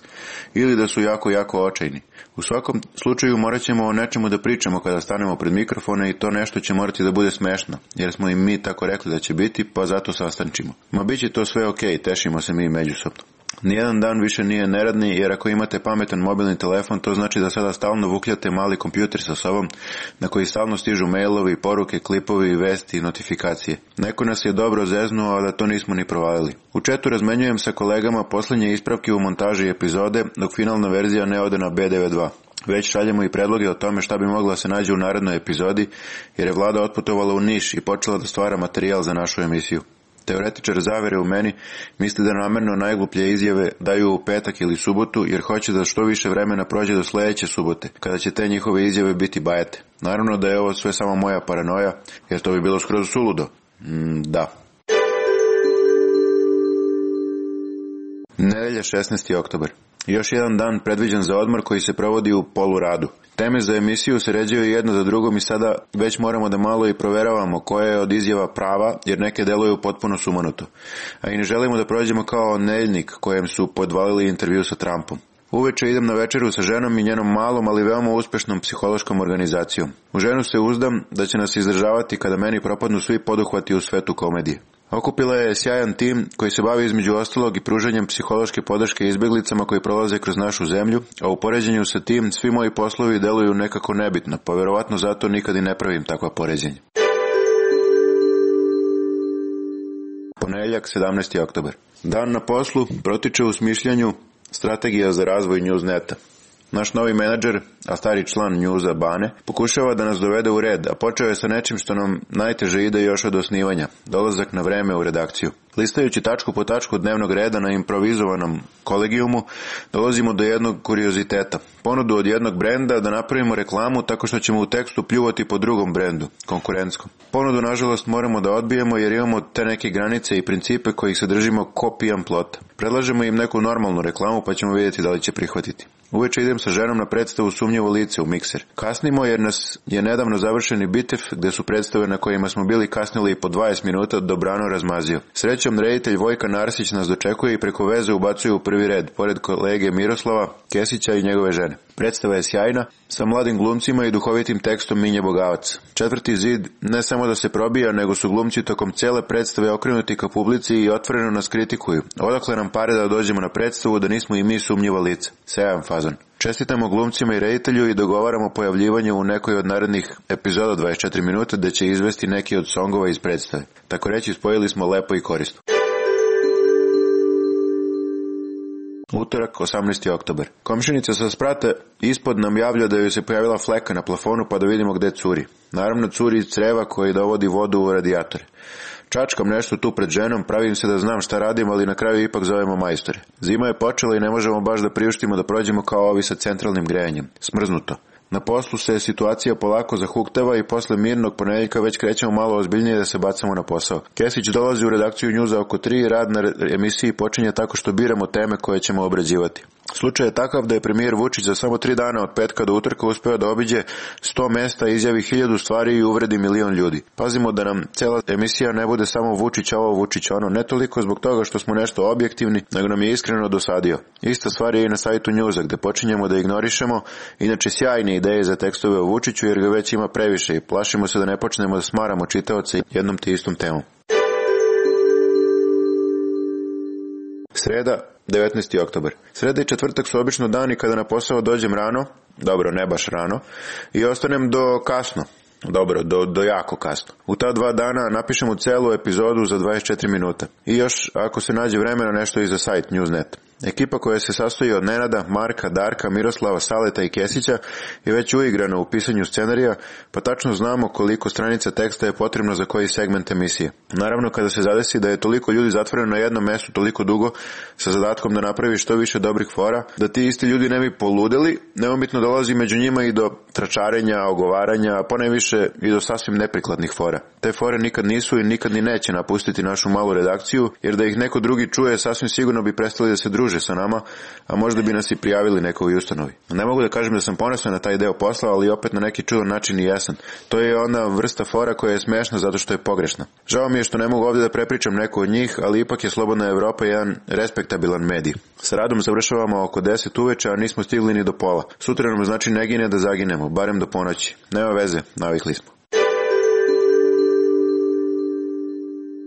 S13: ili da su jako, jako očajni. U svakom slučaju morat ćemo o nečemu da pričamo kada stanemo pred mikrofone i to nešto će morati da bude smešno, jer smo im mi tako rekli da će biti, pa zato sastančimo. Ma bit će to sve okej, tešimo se mi međusobno. Nijedan dan više nije neradni, jer ako imate pametan mobilni telefon, to znači da sada stalno vukljate mali kompjuter sa sobom, na koji stalno stižu mailovi, poruke, klipovi, vesti i notifikacije. Neko nas je dobro zeznuo, a da to nismo ni provalili. U četu razmenjujem sa kolegama poslednje ispravke u montaži epizode, dok finalna verzija ne ode na B devedeset dva. Već šaljemo i predloge o tome šta bi mogla se nađe u narednoj epizodi, jer je Vlada otputovala u Niš i počela da stvara materijal za našu emisiju. Teoretičar zavere u meni misli da namerno najgluplje izjave daju u petak ili subotu, jer hoće da što više vremena prođe do sledeće subote, kada će te njihove izjave biti bajete. Naravno da je ovo sve samo moja paranoja, jer to bi bilo skroz suludo. Mm, da. Nedelja, šesnaesti oktobar. Još jedan dan predviđen za odmor koji se provodi u poluradu. Teme za emisiju se ređaju jedno za drugom i sada već moramo da malo i proveravamo koja je od izjava prava, jer neke deluju potpuno sumanuto. A i ne želimo da prođemo kao nedeljnik kojem su podvalili intervju sa Trumpom. Uveče idem na večeru sa ženom i njenom malom, ali veoma uspešnom psihološkom organizacijom. U ženu se uzdam da će nas izdržavati kada meni propadnu svi poduhvati u svetu komedije. Okupila je sjajan tim koji se bavi između ostalog i pružanjem psihološke podrške izbjeglicama koji prolaze kroz našu zemlju, a u poređenju sa tim svi moji poslovi deluju nekako nebitno, pa verovatno zato nikad i ne pravim takva poređenja. Ponedeljak, sedamnaesti oktobar. Dan na poslu protiče u smišljanju strategija za razvoj Newsneta. Naš novi menadžer, a stari član Newsa Bane, pokušava da nas dovede u red, a počeo je sa nečim što nam najteže ide još od osnivanja, dolazak na vreme u redakciju. Listajući tačku po tačku dnevnog reda na improvizovanom kolegijumu, dolazimo do jednog kurioziteta. Ponudu od jednog brenda da napravimo reklamu tako što ćemo u tekstu pljuvati po drugom brendu, konkurentskom. Ponudu, nažalost, moramo da odbijemo jer imamo te neke granice i principe kojih se držimo ko pijan plota. Predlažemo im neku normalnu reklamu pa ćemo vidjeti da li će prihvatiti. Uveče idem sa ženom na predstavu Sumnjivo lice u Mikser. Kasnimo jer nas je nedavno završeni Bitev, gde su predstave na kojima smo bili kasnili i po dvadeset minuta, dobrano razmazio. Srećom, reditelj Vojka Narsić nas dočekuje i preko veze ubacuje u prvi red, pored kolege Miroslava Kesića i njegove žene. Predstava je sjajna, sa mladim glumcima i duhovitim tekstom Minje Bogavac. Četvrti zid ne samo da se probija, nego su glumci tokom cijele predstave okrenuti ka publici i otvoreno nas kritikuju. Odakle nam pare da dođemo na predstavu da nismo i mi sumnjiva lica? Sjajan fazon. Čestitamo glumcima i reditelju i dogovaramo pojavljivanje u nekoj od narednih epizoda dvadeset četiri minuta da će izvesti neki od songova iz predstave. Tako reći, spojili smo lepo i korisno. Utorak, osamnaesti oktobar. Komšinica sa sprata ispod nam javlja da joj se pojavila fleka na plafonu pa da vidimo gde curi. Naravno, curi iz creva koji dovodi vodu u radijatore. Čačkam nešto tu pred ženom, pravim se da znam šta radim, ali na kraju ipak zovemo majstore. Zima je počela i ne možemo baš da priuštimo da prođemo kao ovi sa centralnim grejanjem. Smrznuto. Na poslu se situacija polako zahuktava i posle mirnog ponedeljka već krećemo malo ozbiljnije da se bacamo na posao. Kesić dolazi u redakciju Newsa oko tri i rad na emisiji počinje tako što biramo teme koje ćemo obrađivati. Slučaj je takav da je premijer Vučić za samo tri dana od petka do utorka uspeo da obiđe sto mesta, izjavi hiljadu stvari i uvredi milion ljudi. Pazimo da nam cela emisija ne bude samo Vučić ovo, Vučić ono, ne toliko zbog toga što smo nešto objektivni, nego nam je iskreno dosadio. Ista stvar je i na sajtu Newsa gde počinjemo da ignorišemo inače sjajne ideje za tekstove o Vučiću jer ga već ima previše i plašimo se da ne počnemo da smaramo čitaoce jednom te istom temom. Sreda, devetnaesti oktobar. Sreda i četvrtak su obično dani kada na posao dođem rano, dobro, ne baš rano, i ostanem do kasno, dobro, do, do jako kasno. U ta dva dana napišemo celu epizodu za dvadeset četiri minuta. I još, ako se nađe vremena, nešto i za sajt Newsnet. Ekipa koja se sastoji od Nenada, Marka, Darka, Miroslava, Saleta i Kesića je već uigrana u pisanju scenarija, pa tačno znamo koliko stranica teksta je potrebno za koji segment emisije. Naravno, kada se zadesi da je toliko ljudi zatvoreno na jednom mestu toliko dugo, sa zadatkom da napravi što više dobrih fora, da ti isti ljudi ne bi poludeli, neumitno dolazi među njima i do tračarenja, ogovaranja, a ponajviše i do sasvim neprikladnih fora. Te fore nikad nisu i nikad ni neće napustiti našu malu redakciju, jer da ih neko drugi čuje, sasvim sigurno bi prestali da se druže sa nama, a možda bi nas i prijavili nekoj ustanovi. Ne mogu da kažem da sam ponosan na taj deo posla, ali opet na neki čudan način i jesan. To je ona vrsta fora koja je smešna zato što je pogrešna. Žao mi je što ne mogu ovdje da prepričam neku od njih, ali ipak je Slobodna Evropa jedan respektabilan medij. Sa radom završavamo oko deset uveče, a nismo stigli ni do pola. Sutra nam znači ne gine da zaginemo, barem do ponoći. Nema veze, navikli smo.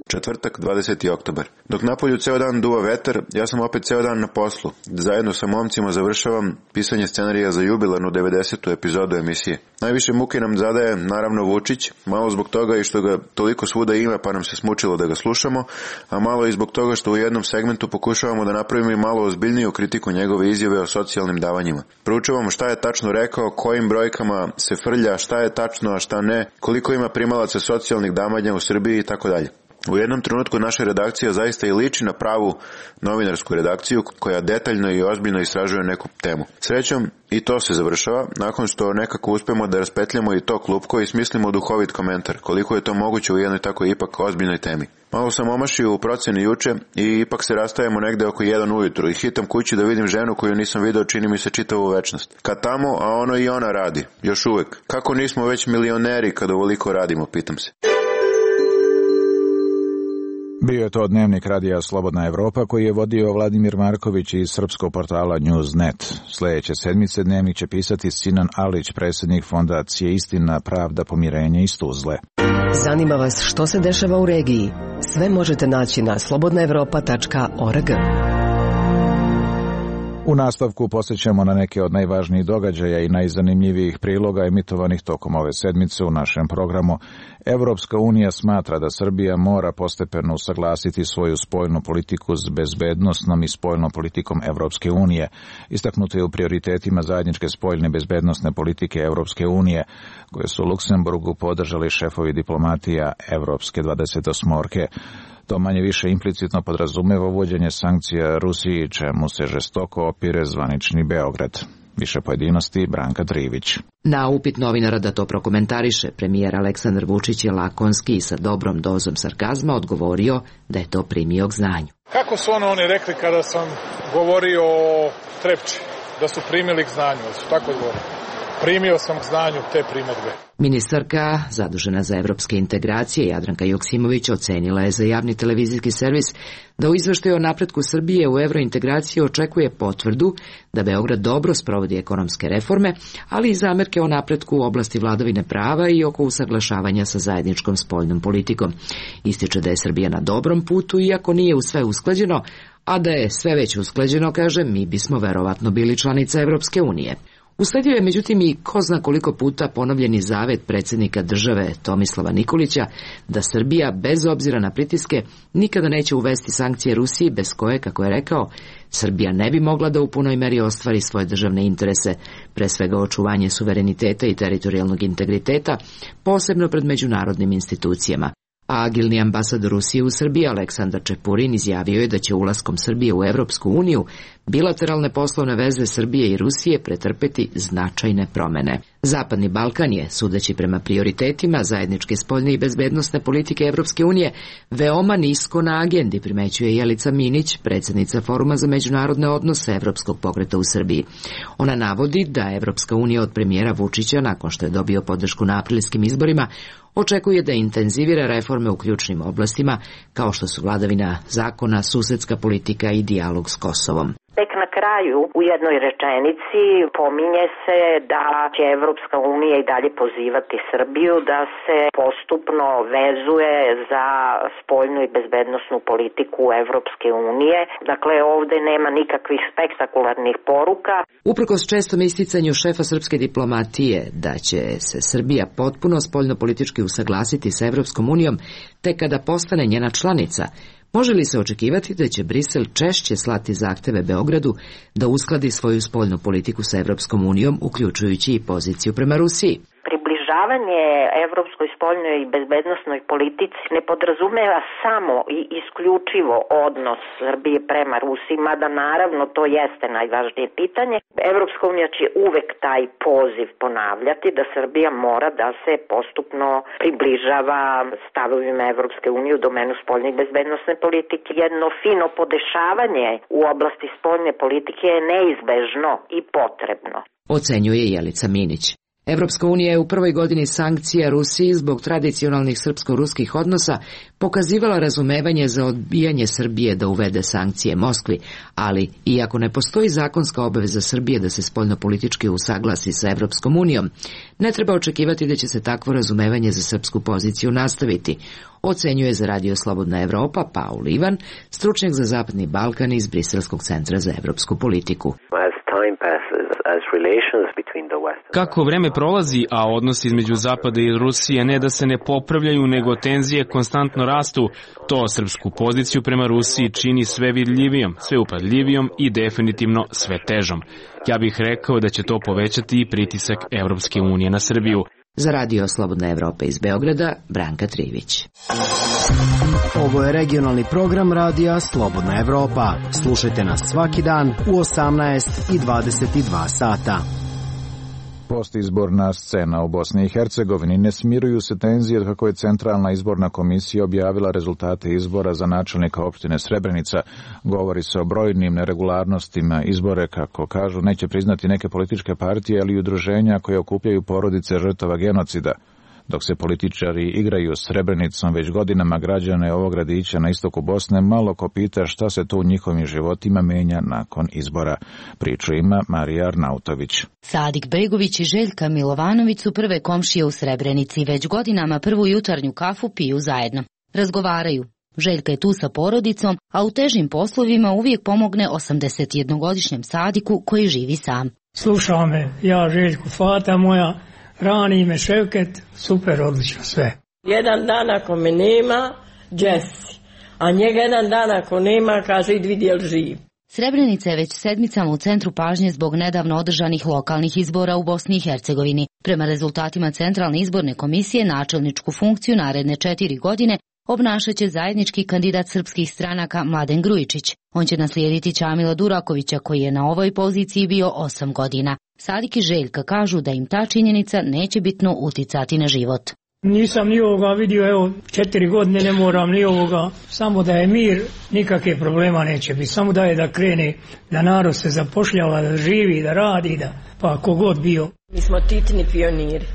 S13: Četvrtak, dvadeseti oktobar. Dok napolju ceo dan duva vetar, ja sam opet ceo dan na poslu. Zajedno sa momcima završavam pisanje scenarija za jubilarnu devedesetu epizodu emisije. Najviše muke nam zadaje, naravno, Vučić, malo zbog toga i što ga toliko svuda ima pa nam se smučilo da ga slušamo, a malo i zbog toga što u jednom segmentu pokušavamo da napravimo i malo ozbiljniju kritiku njegove izjave o socijalnim davanjima. Proučavamo šta je tačno rekao, kojim brojkama se frlja, šta je tačno, a šta ne, koliko ima primalaca socijalnih davanja u Srbiji i tako dalje. U jednom trenutku naša redakcija zaista i liči na pravu novinarsku redakciju koja detaljno i ozbiljno istražuje neku temu. Srećom, i to se završava, nakon što nekako uspemo da raspetljamo i to klupko i smislimo duhovit komentar, koliko je to moguće u jednoj tako ipak ozbiljnoj temi. Malo sam omašio u proceni juče i ipak se rastajemo negde oko jedan ujutru i hitam kući da vidim ženu koju nisam video čini mi se čitavu večnost. Kad tamo, a ono i ona radi, još uvek. Kako nismo već milioneri kad ovoliko radimo, pitam se.
S4: Bio je to dnevnik radija Slobodna Evropa koji je vodio Vladimir Marković iz srpskog portala News dot net. Sljedeće sedmice dnevnik će pisati Sinan Alić, predsjednik fondacije Istina, pravda, pomirenje iz Tuzle.
S12: Zanima vas što se dešava u regiji? Sve možete naći na slobodna evropa tačka org.
S4: U nastavku posjećamo na neke od najvažnijih događaja i najzanimljivijih priloga emitovanih tokom ove sedmice u našem programu. Evropska unija smatra da Srbija mora postepeno usaglasiti svoju spoljnu politiku s bezbednosnom i spoljnom politikom Evropske unije. Istaknuto je u prioritetima zajedničke spoljne bezbednosne politike Evropske unije, koje su u Luksemburgu podržali šefovi diplomatija Evropske dvadesetosmorke. To manje više implicitno podrazumeva uvođenje sankcija Rusiji, čemu se žestoko opire zvanični Beograd. Više pojedinosti Branka Trivić.
S5: Na upit novinara da to prokomentariše, premijer Aleksandar Vučić je lakonski i sa dobrom dozom sarkazma odgovorio da je to primio k znanju.
S18: Kako su ono oni rekli kada sam govorio o Trepči, da su primili k znanju, da su tako odgovorili? Primio sam k znanju te primedbe.
S5: Ministarka, zadužena za evropske integracije, Jadranka Joksimović, ocenila je za javni televizijski servis da u izveštaju o napretku Srbije u evrointegraciji očekuje potvrdu da Beograd dobro sprovodi ekonomske reforme, ali i zamerke o napretku u oblasti vladavine prava i oko usaglašavanja sa zajedničkom spoljnom politikom. Ističe da je Srbija na dobrom putu, iako nije u sve usklađeno, a da je sve već usklađeno, kaže, mi bismo verovatno bili članica Evropske unije. Usledio je međutim i ko zna koliko puta ponovljeni zavet predsjednika države Tomislava Nikolića da Srbija, bez obzira na pritiske, nikada neće uvesti sankcije Rusiji, bez koje, kako je rekao, Srbija ne bi mogla da u punoj meri ostvari svoje državne interese, pre svega očuvanje suvereniteta i teritorijalnog integriteta, posebno pred međunarodnim institucijama. A agilni ambasador Rusije u Srbiji Aleksandar Čepurin izjavio je da će ulaskom Srbije u Evropsku uniju bilateralne poslovne veze Srbije i Rusije pretrpeti značajne promene. Zapadni Balkan je, sudeći prema prioritetima zajedničke spoljne i bezbednosne politike Evropske unije, veoma nisko na agendi, primećuje Jelica Minić, predsjednica Foruma za međunarodne odnose Evropskog pokreta u Srbiji. Ona navodi da Evropska unija od premijera Vučića, nakon što je dobio podršku na aprilskim izborima, očekuje da intenzivira reforme u ključnim oblastima, kao što su vladavina zakona, susedska politika i dijalog s Kosovom.
S19: Tek na kraju u jednoj rečenici pominje se da će Evropska unija i dalje pozivati Srbiju da se postupno vezuje za spoljnu i bezbednosnu politiku Evropske unije. Dakle, ovde nema nikakvih spektakularnih poruka.
S5: Uprkos čestom isticanju šefa srpske diplomatije da će se Srbija potpuno spoljno-politički usaglasiti sa Evropskom unijom tek kada postane njena članica, može li se očekivati da će Brisel češće slati zahteve Beogradu da uskladi svoju spoljnu politiku sa Evropskom unijom, uključujući i poziciju prema Rusiji?
S19: Približavanje evropskoj spoljnoj i bezbednosnoj politici ne podrazumeva samo i isključivo odnos Srbije prema Rusiji, mada naravno to jeste najvažnije pitanje. Evropska unija će uvek taj poziv ponavljati da Srbija mora da se postupno približava stavovima Evropske unije u domenu spoljne i bezbednosne politike. Jedno fino podešavanje u oblasti spoljne politike je neizbežno i potrebno,
S5: ocenjuje Jelica Minić. Evropska unija je u prvoj godini sankcija Rusiji zbog tradicionalnih srpsko-ruskih odnosa pokazivala razumevanje za odbijanje Srbije da uvede sankcije Moskvi, ali iako ne postoji zakonska obaveza Srbije da se spoljnopolitički usaglasi sa Evropskom unijom, ne treba očekivati da će se takvo razumevanje za srpsku poziciju nastaviti, ocenjuje za Radio Slobodna Evropa Paul Ivan, stručnjak za Zapadni Balkan iz Briselskog centra za evropsku politiku.
S20: Kako vreme prolazi, a odnosi između Zapada i Rusije ne da se ne popravljaju, nego tenzije konstantno rastu, to srpsku poziciju prema Rusiji čini sve vidljivijom, sve upadljivijom i definitivno sve težom. Ja bih rekao da će to povećati i pritisak Evropske unije na Srbiju.
S5: Za Radio Slobodna Evropa iz Beograda, Branka Trivić.
S17: Ovo je regionalni program Radija Slobodna Evropa. Slušajte nas svaki dan u osamnaest i dvadeset dva sata.
S4: Postizborna scena u Bosni i Hercegovini. Ne smiruju se tenzije kako je Centralna izborna komisija objavila rezultate izbora za načelnika opštine Srebrenica. Govori se o brojnim neregularnostima. Izbore, kako kažu, neće priznati neke političke partije, ali i udruženja koje okupljaju porodice žrtava genocida. Dok se političari igraju s Srebrenicom, već godinama građane ovog gradića na istoku Bosne malo ko pita šta se to u njihovim životima menja nakon izbora. Priču ima Marija Arnautović.
S7: Sadik Begović i Željka Milovanović su prve komšije u Srebrenici. Već godinama prvu jutarnju kafu piju zajedno. Razgovaraju. Željka je tu sa porodicom, a u težim poslovima uvijek pomogne osamdesetjednogodišnjem Sadiku koji živi sam.
S14: Slušao me, ja Željku, fata moja, rani me Ševket, super, odlično sve.
S15: Jedan dan ako me nema, Jesse, a njega jedan dan ako nema, kaže idi vidi jel živ.
S7: Srebrenica je već sedmicama u centru pažnje zbog nedavno održanih lokalnih izbora u Bosni i Hercegovini. Prema rezultatima Centralne izborne komisije načelničku funkciju naredne četiri godine obnašat će zajednički kandidat srpskih stranaka Mladen Grujičić. On će naslijediti Čamila Durakovića koji je na ovoj poziciji bio osam godina. Sadik i Željka kažu da im ta činjenica neće bitno uticati na život.
S14: Nisam ni ovoga vidio, evo, četiri godine ne moram ni ovoga, samo da je mir, nikakve problema neće biti, samo da je da krene, da narod se zapošljava, da živi, da radi, da pa kogod bio.
S15: Mi smo titni pioniri,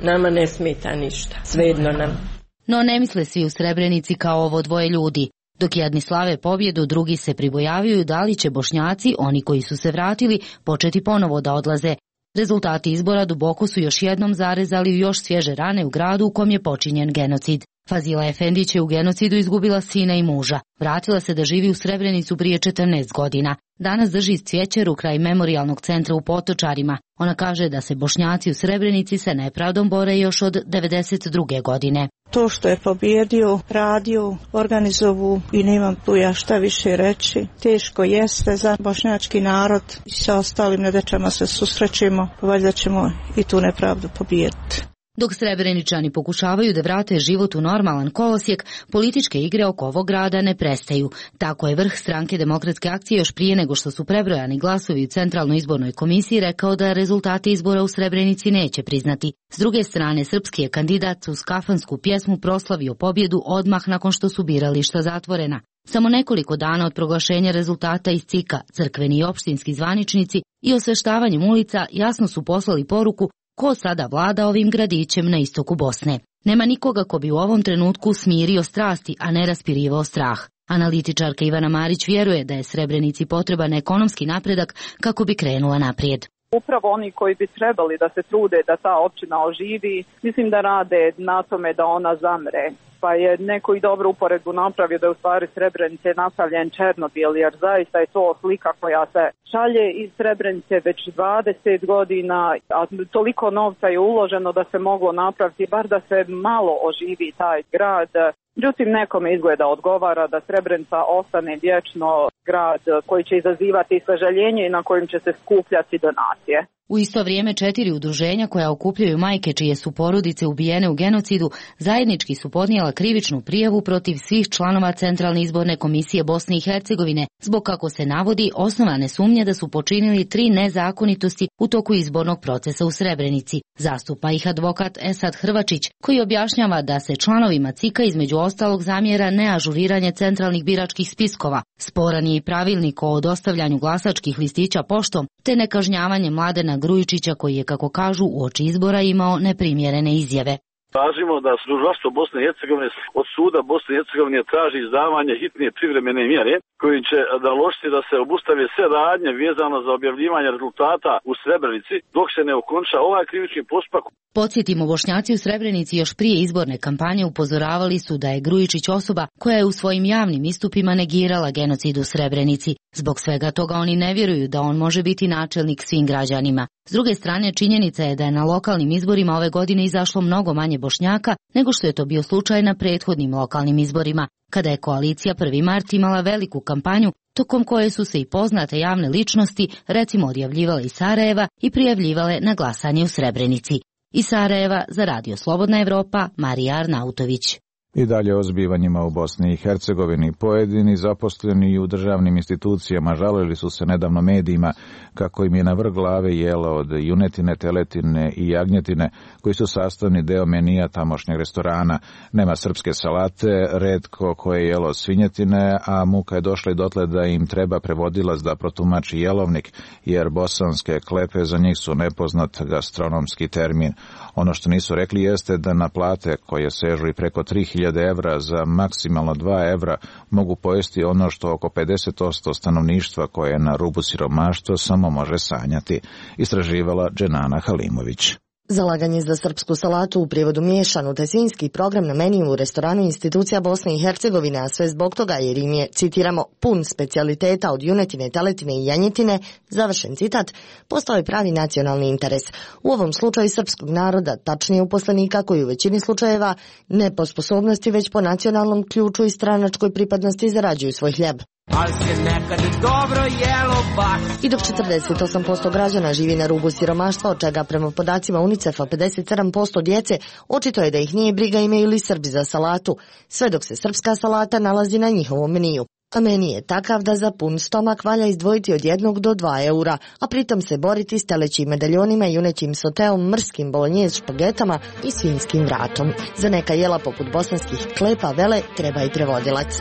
S15: nama ne smeta ništa, svejedno nam.
S7: No ne misle svi u Srebrenici kao ovo dvoje ljudi. Dok jedni slave pobjedu, drugi se pribojavaju da li će Bošnjaci, oni koji su se vratili, početi ponovo da odlaze. Rezultati izbora duboko su još jednom zarezali u još svježe rane u gradu u kom je počinjen genocid. Fazila Efendić je u genocidu izgubila sina i muža. Vratila se da živi u Srebrenicu prije četrnaest godina. Danas drži cvjećeru kraj memorijalnog centra u Potočarima. Ona kaže da se Bošnjaci u Srebrenici sa nepravdom bore još od devedeset druge godine.
S9: To što je pobjedio, radio, organizovu i nemam tu ja šta više reći. Teško jeste za bošnjački narod i sa ostalim nedaćama se susrećemo, valjda ćemo i tu nepravdu pobijediti.
S7: Dok Srebreničani pokušavaju da vrate život u normalan kolosijek, političke igre oko ovog grada ne prestaju. Tako je vrh stranke Demokratske akcije još prije nego što su prebrojani glasovi u Centralnoj izbornoj komisiji rekao da rezultate izbora u Srebrenici neće priznati. S druge strane, srpski je kandidat uz kafansku pjesmu proslavio pobjedu odmah nakon što su birališta zatvorena. Samo nekoliko dana od proglašenja rezultata iz C I K-a, crkveni i opštinski zvaničnici i osveštavanjem ulica jasno su poslali poruku ko sada vlada ovim gradićem na istoku Bosne. Nema nikoga ko bi u ovom trenutku smirio strasti, a ne raspirivao strah. Analitičarka Ivana Marić vjeruje da je Srebrenici potreban ekonomski napredak kako bi krenula naprijed.
S21: Upravo oni koji bi trebali da se trude da ta općina oživi, mislim da rade na tome da ona zamre. Pa je neko i dobro uporedbu napravio da je u stvari Srebrenice napravljen Černobil, jer zaista je to slika koja se šalje iz Srebrenice već dvadeset godina, a toliko novca je uloženo da se moglo napraviti, bar da se malo oživi taj grad. Međutim, nekome izgleda odgovara da Srebrenica ostane vječno grad koji će izazivati sažaljenje i na kojim će se skupljati donacije.
S7: U isto vrijeme četiri udruženja koja okupljaju majke čije su porodice ubijene u genocidu zajednički su podnijela krivičnu prijavu protiv svih članova Centralne izborne komisije Bosne i Hercegovine zbog, kako se navodi, osnovane sumnje da su počinili tri nezakonitosti u toku izbornog procesa u Srebrenici. Zastupa ih advokat Esad Hrvačić koji objašnjava da se članovima C I K-a između ostalog zamjera neažuriranje centralnih biračkih spiskova, sporan je i pravilnik o dostavljanju glasačkih listića poštom te nekažnjavanje Mladena Grujičića koji je, kako kažu, uoči izbora imao neprimjerene izjave.
S22: Tražimo da Tužilaštvo Bosne i Hercegovine od suda Bosne i Hercegovine traži izdavanje hitne privremene mjere koji će naložiti da se obustave sve radnje vezano za objavljivanje rezultata u Srebrenici dok se ne okonča ovaj krivični postupak.
S7: Podsjetimo, Bošnjaci u Srebrenici još prije izborne kampanje upozoravali su da je Grujičić osoba koja je u svojim javnim istupima negirala genocid u Srebrenici. Zbog svega toga oni ne vjeruju da on može biti načelnik svim građanima. S druge strane, činjenica je da je na lokalnim izborima ove godine izašlo mnogo manje Bošnjaka nego što je to bio slučaj na prethodnim lokalnim izborima, kada je koalicija Prvi mart imala veliku kampanju tokom koje su se i poznate javne ličnosti recimo odjavljivale iz Sarajeva i prijavljivale na glasanje u Srebrenici. Iz Sarajeva za Radio Slobodna Evropa, Marija Arnautović.
S4: I dalje o zbivanjima u Bosni i Hercegovini. Pojedini zaposleni u državnim institucijama žalili su se nedavno medijima kako im je na vrh glave jelo od junetine, teletine i jagnjetine, koji su sastavni deo menija tamošnjeg restorana. Nema srpske salate, retko koje je jelo svinjetine, a muka je došla i dotle da im treba prevodilac da protumači jelovnik, jer bosanske klepe za njih su nepoznat gastronomski termin. Ono što nisu rekli jeste da na plate koje sežu i preko tri hiljade evra za maksimalno dva evra mogu pojesti ono što oko pedeset posto stanovništva koje je na rubu siromaštva samo može sanjati, istraživala Dženana Halimović.
S6: Zalaganje za srpsku salatu, u prijevodu miješanu, te svinjski program na meniju u restoranu institucija Bosne i Hercegovine, a sve zbog toga jer im je, citiramo, pun specijaliteta od junetine, teletine i janjetine, završen citat, postao je pravi nacionalni interes. U ovom slučaju srpskog naroda, tačnije uposlenika koji u većini slučajeva ne po sposobnosti već po nacionalnom ključu i stranačkoj pripadnosti zarađuju svoj hljeb.
S8: Ali se nekad dobro jelo baš.
S6: I dok četrdeset osam posto građana živi na rubu siromaštva, od čega prema podacima UNICEF-a pedeset sedam posto djece, očito je da ih nije briga imaju li Srbi za salatu, sve dok se srpska salata nalazi na njihovom meniju. A meni je takav da za pun stomak valja izdvojiti od jednog do dva eura, a pritom se boriti s telećim medaljonima, junećim soteom, mrskim bolonjez špagetama i svinjskim vratom. Za neka jela poput bosanskih klepa vele treba i prevodilac.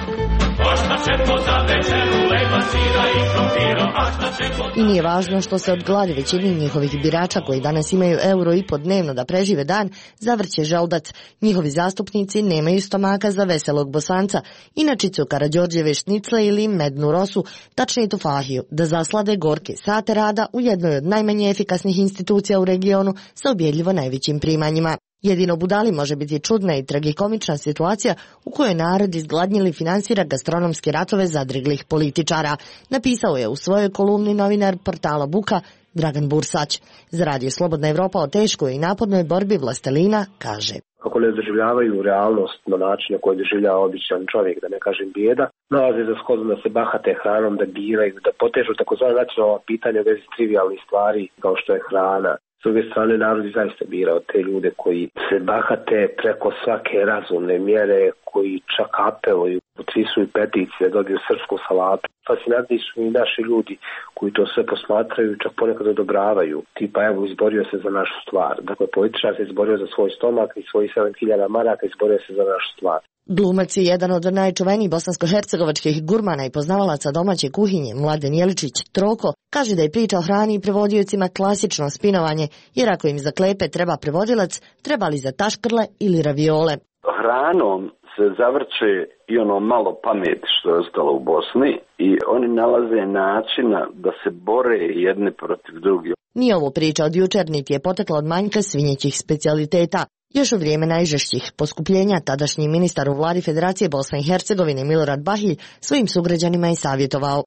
S6: I nije važno što se od gladi većini njihovih birača koji danas imaju euro i po dnevno da prežive dan, zavrće želudac. Njihovi zastupnici nemaju stomaka za veselog Bosanca, inačicu Karađorđeve šnicle ili mednu rosu, tačnije tufahiju, da zaslade gorke sate rada u jednoj od najmanje efikasnih institucija u regionu sa ubjedljivo najvećim primanjima. Jedino budali može biti čudna i tragikomična situacija u kojoj narod izgladnjili finansira gastronomske ratove zadriglih političara, napisao je u svojoj kolumni novinar portala Buka Dragan Bursać. Za Radio Slobodna Evropa o teškoj i napornoj borbi vlastelina kaže:
S16: kako ne doživljavaju realnost na način na koji doživljava običan čovjek, da ne kažem bijeda, nalaze za shodno da se bahate hranom, da biraju, da potežu takozvana nacionalna pitanja u vezi trivijalnih stvari kao što je hrana. S druge strane, narod je zaista birao te ljude koji se bahate preko svake razumne mjere, koji čak apeluju, potpisuju peticije da dobiju srpsku salatu. Fascinantni su i naši ljudi koji to sve posmatraju i čak ponekad odobravaju. Tipa, evo, izborio se za našu stvar. Dakle, političar se izborio za svoj stomak i svojih sedam hiljada maraka izborio se za našu stvar.
S6: Glumac je jedan od najčuvenijih bosansko-hercegovačkih gurmana i poznavalaca domaće kuhinje, Mladen Jeličić Troko, kaže da je priča o hrani i prevodiocima klasično spinovanje, jer ako im za klepe treba prevodilac, treba li za taškrle ili raviole.
S3: Hranom se zavrće i ono malo pameti što je ostalo u Bosni i oni nalaze načina da se bore jedne protiv drugih.
S6: Nije ovo priča od jučer, niti je potekla od manjka svinjećih specijaliteta. Još u vrijeme najžešćih poskupljenja tadašnji ministar u vladi Federacije Bosne i Hercegovine Milorad Bahilj svojim sugrađanima je savjetovao: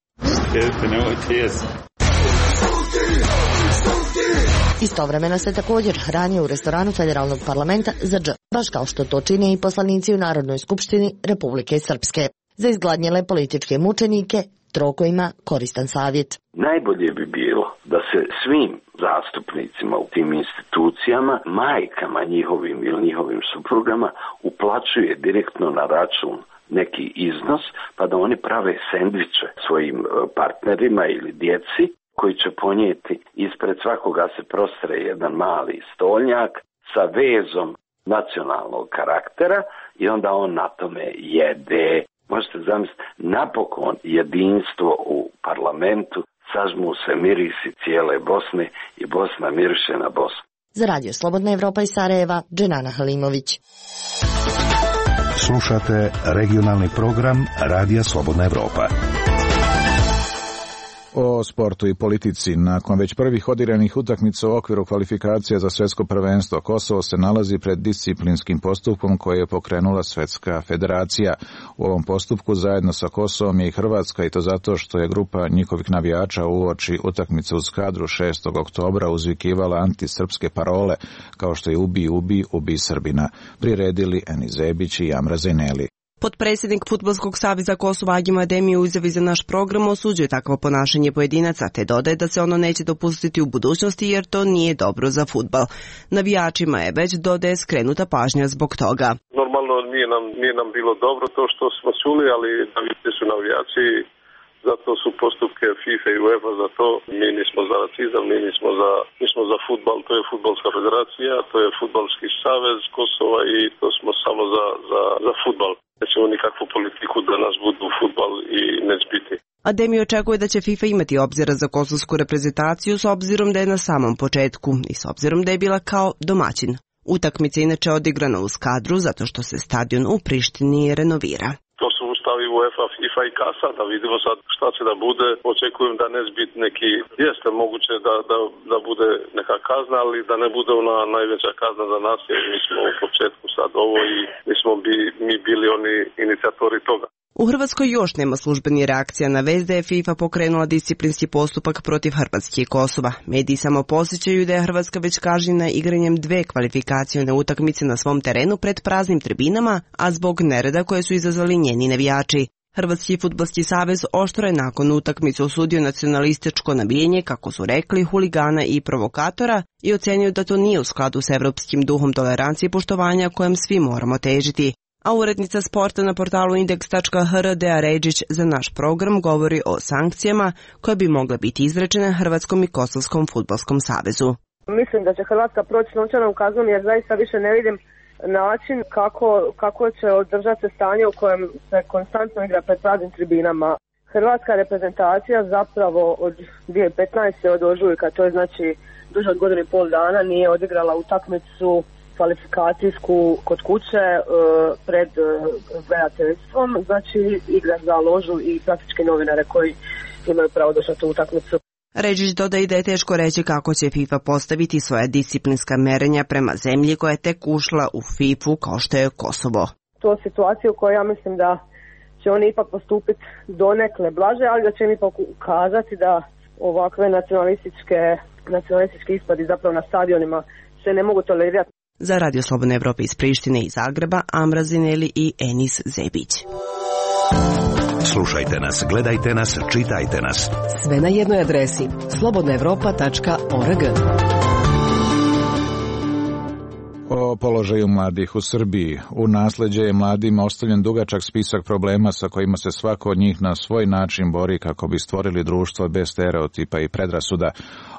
S6: istovremeno se također hrani u restoranu Federalnog parlamenta za dž, baš kao što to čine i poslanici u Narodnoj skupštini Republike Srpske. Za izgladnjele političke mučenike Troko ima koristan savjet.
S3: Najbolje bi bilo da se svim zastupnicima u tim institucijama, majkama njihovim ili njihovim suprugama uplaćuje direktno na račun neki iznos, pa da oni prave sendviče svojim partnerima ili djeci, koji će ponijeti ispred svakoga se prostre jedan mali stolnjak sa vezom nacionalnog karaktera i onda on na tome jede. Možete zamisliti, napokon jedinstvo u parlamentu, sažmu se mirisi cijele Bosne i Bosna miriše na Bosnu.
S6: Za Radio Slobodna Evropa iz Sarajeva, Dženana Halimović.
S11: Slušate regionalni program Radija Slobodna Evropa.
S4: O sportu i politici. Nakon već prvih odigranih utakmica u okviru kvalifikacija za svjetsko prvenstvo, Kosovo se nalazi pred disciplinskim postupkom koje je pokrenula Svjetska federacija. U ovom postupku zajedno sa Kosovom je i Hrvatska, i to zato što je grupa njihovih navijača uoči utakmice u Skadru šestog oktobra uzvikivala antisrpske parole, kao što je ubi, ubi, ubi Srbina. Priredili Eni Zebić i Amra Zajneli.
S10: Potpredsjednik Fudbalskog saveza Kosova Agim Ademi u izjavi za naš program osuđuje takvo ponašanje pojedinaca, te dodaje da se ono neće dopustiti u budućnosti jer to nije dobro za fudbal. Navijačima je već, dodaje, skrenuta pažnja zbog toga.
S23: Normalno nije
S1: nije nam, nije nam bilo dobro to što smo čuli, ali navijači su navijači, zato su postupke FIFA i UEFA za to. Mi nismo za racizam, mi nismo za, mi smo za fudbal, to je fudbalska federacija, to je fudbalski savez Kosova i to smo samo za, za, za fudbal. Nećemo nikakvu politiku da nas budu fudbal i neće biti.
S10: Ademi očekuje da će FIFA imati obzira za kosovsku reprezentaciju s obzirom da je na samom početku i s obzirom da je bila kao domaćin. Utakmica inače odigrana u Skadru zato što se stadion u Prištini renovira.
S1: To su ustavi UEFA, FIFA i Kasa, da vidimo sad šta će da bude. Očekujem da neće biti neki, jeste moguće da, da, da bude neka kazna, ali da ne bude ona najveća kazna za nas, jer mi smo u početku sad ovo i mi smo bi, mi bili oni inicijatori toga.
S10: U Hrvatskoj još nema službeni reakcija na vest da je FIFA pokrenula disciplinski postupak protiv Hrvatske i Kosova. Mediji samo posjećaju da je Hrvatska već kažnjena igranjem dve kvalifikacione utakmice na svom terenu pred praznim tribinama, a zbog nereda koje su izazvali njeni navijači. Hrvatski fudbalski savez oštro je nakon utakmice osudio nacionalističko nabijanje, kako su rekli, huligana i provokatora i ocenio da to nije u skladu s evropskim duhom tolerancije i poštovanja kojem svi moramo težiti. A urednica sporta na portalu indeks tačka hr Dea Ređić za naš program govori o sankcijama koje bi mogle biti izrečene Hrvatskom i Kosovskom fudbalskom savezu.
S2: Mislim da će Hrvatska proći novčanom kaznom jer zaista više ne vidim način kako, kako će održati se stanje u kojem se konstantno igra pred praznim tribinama. Hrvatska reprezentacija zapravo od dvije tisuće petnaeste. od ožujka, to je znači duže od godinu i pol dana, nije odigrala utakmicu kvalifikacijsku kod kuće e, pred e, gledateljstvom, znači igra za ložu i praktički novinare koji imaju pravo doći na tu utakmicu.
S10: Ređić dodaje da je teško reći kako će FIFA postaviti svoja disciplinska merenja prema zemlji koja je tek ušla u fifu kao što je Kosovo.
S2: To je situacija u kojoj ja mislim da će oni ipak postupiti donekle blaže, ali da će im ipak ukazati da ovakve nacionalističke, nacionalistički ispadi zapravo na stadionima se ne mogu tolerirati.
S10: Za Radio Slobodne Evrope iz Prištine i Zagreba, Amra Zineli i Enis Zebić.
S11: Slušajte nas, gledajte nas, čitajte nas.
S12: Sve na jednoj adresi slobodna evropa tačka org.
S4: O položaju mladih u Srbiji. U nasleđe je mladima ostavljen dugačak spisak problema sa kojima se svako od njih na svoj način bori kako bi stvorili društvo bez stereotipa i predrasuda.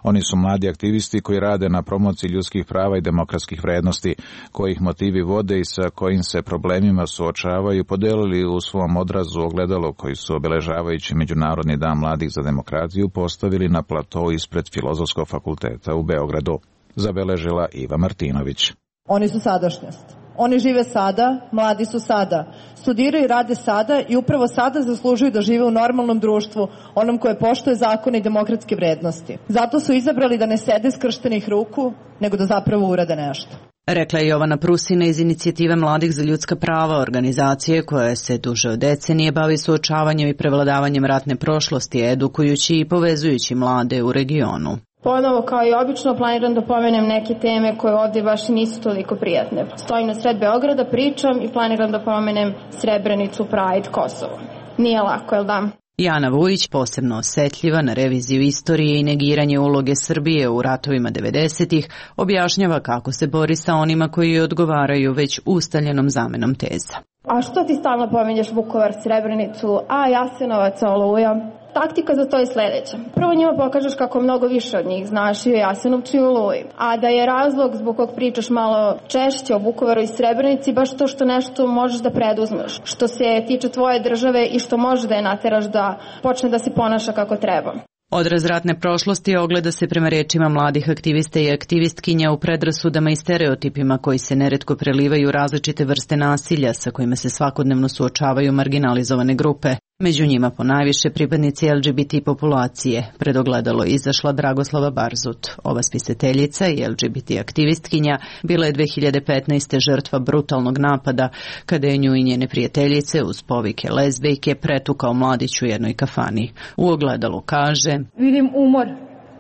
S4: Oni su mladi aktivisti koji rade na promociji ljudskih prava i demokratskih vrednosti, kojih motivi vode i sa kojim se problemima suočavaju, podelili u svom odrazu ogledalo koji su obeležavajući Međunarodni dan mladih za demokratiju postavili na platou ispred Filozofskog fakulteta u Beogradu. Zabeležila Iva Martinović.
S23: Oni su sadašnjost. Oni žive sada, mladi su sada. Studiraju i rade sada i upravo sada zaslužuju da žive u normalnom društvu, onom koje poštuje zakone i demokratske vrednosti. Zato su izabrali da ne sede skrštenih ruku, nego da zapravo urade nešto.
S24: Rekla je Jovana Prusina iz Inicijative mladih za ljudska prava, organizacije koja se duže od decenije bavi suočavanjem i prevladavanjem ratne prošlosti, edukujući i povezujući mlade u regionu.
S25: Ponovo, kao i obično, planiram da pomenem neke teme koje ovdje baš nisu toliko prijatne. Stojim na sred Beograda, pričam i planiram da pomenem Srebrenicu, Pride, Kosovo. Nije lako, jel da?
S24: Jana Vujić, posebno osjetljiva na reviziju istorije i negiranje uloge Srbije u ratovima devedesetih, objašnjava kako se bori sa onima koji odgovaraju već ustaljenom zamenom teza.
S25: A što ti stalno pominješ Vukovar, Srebrenicu, a Jasenovac, Oluja? Taktika za to je sljedeća. Prvo njima pokažeš kako mnogo više od njih znaš i o Jasenovcu i Oluji. A da je razlog zbog kog pričaš malo češće o Vukovaru i Srebrenici baš to što nešto možeš da preduzmeš. Što se tiče tvoje države i što možeš da je nateraš da počne da se ponaša kako treba.
S24: Odraz ratne prošlosti ogleda se prema rečima mladih aktivista i aktivistkinja u predrasudama i stereotipima koji se neretko prelivaju u različite vrste nasilja sa kojima se svakodnevno suočavaju marginalizovane grupe. Među njima ponajviše pripadnici L G B T populacije. Pred ogledalo izašla Dragoslava Barzut. Ova spisateljica i L G B T aktivistkinja bila je dve hiljade petnaeste. žrtva brutalnog napada kada je nju i njene prijateljice uz povike lezbejke pretukao mladić u jednoj kafani. U ogledalu kaže:
S26: Vidim umor.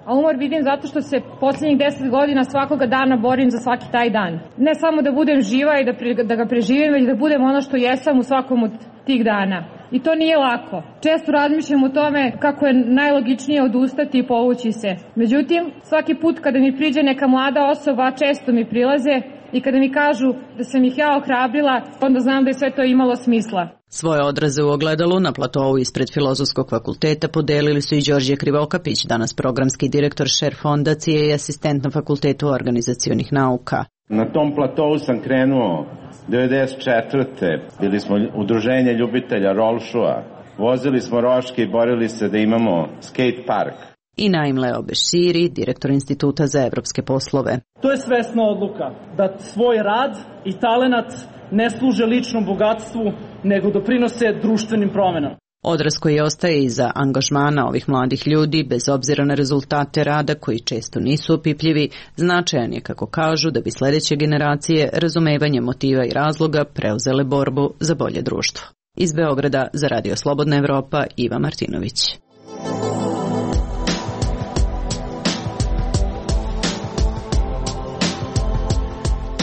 S26: A umor vidim zato što se posljednjih deset godina svakoga dana borim za svaki taj dan. Ne samo da budem živa i da, pre, da ga preživim, već da budem ono što jesam u svakom od tih dana. I to nije lako. Često razmišljam o tome kako je najlogičnije odustati i povući se. Međutim, svaki put kada mi priđe neka mlada osoba, često mi prilaze i kada mi kažu da sam ih ja ohrabrila, onda znam da je sve to imalo smisla.
S24: Svoje odraze u ogledalu na platovu ispred Filozofskog fakulteta podelili su i Đorđe Krivokapić, danas programski direktor Šer fondacije i asistent na Fakultetu organizacionih nauka.
S5: Na tom platovu sam krenuo devedeset četvrte Bili smo udruženje ljubitelja rolšua. Vozili smo roške i borili se da imamo skate park.
S24: I Naim Leo Beširi, direktor Instituta za evropske poslove.
S13: To je svesna odluka da svoj rad i talenat ne služe ličnom bogatstvu, nego doprinose društvenim promenama.
S24: Odraz koji ostaje iza angažmana ovih mladih ljudi, bez obzira na rezultate rada koji često nisu opipljivi, značajan je, kako kažu, da bi sledeće generacije razumevanjem motiva i razloga preuzele borbu za bolje društvo. Iz Beograda za Radio Slobodna Evropa, Iva Martinović.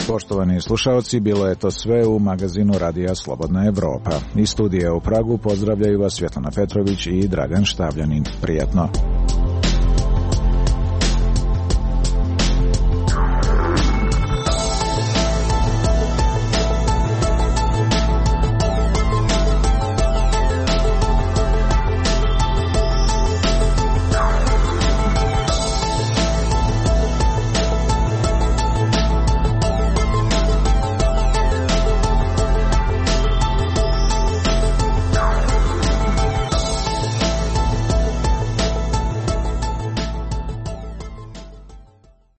S4: Poštovani slušaoci, bilo je to sve u magazinu Radija Slobodna Evropa. Iz studija u Pragu pozdravljaju vas Svjetlana Petrović i Dragan Štavljanin. Prijatno.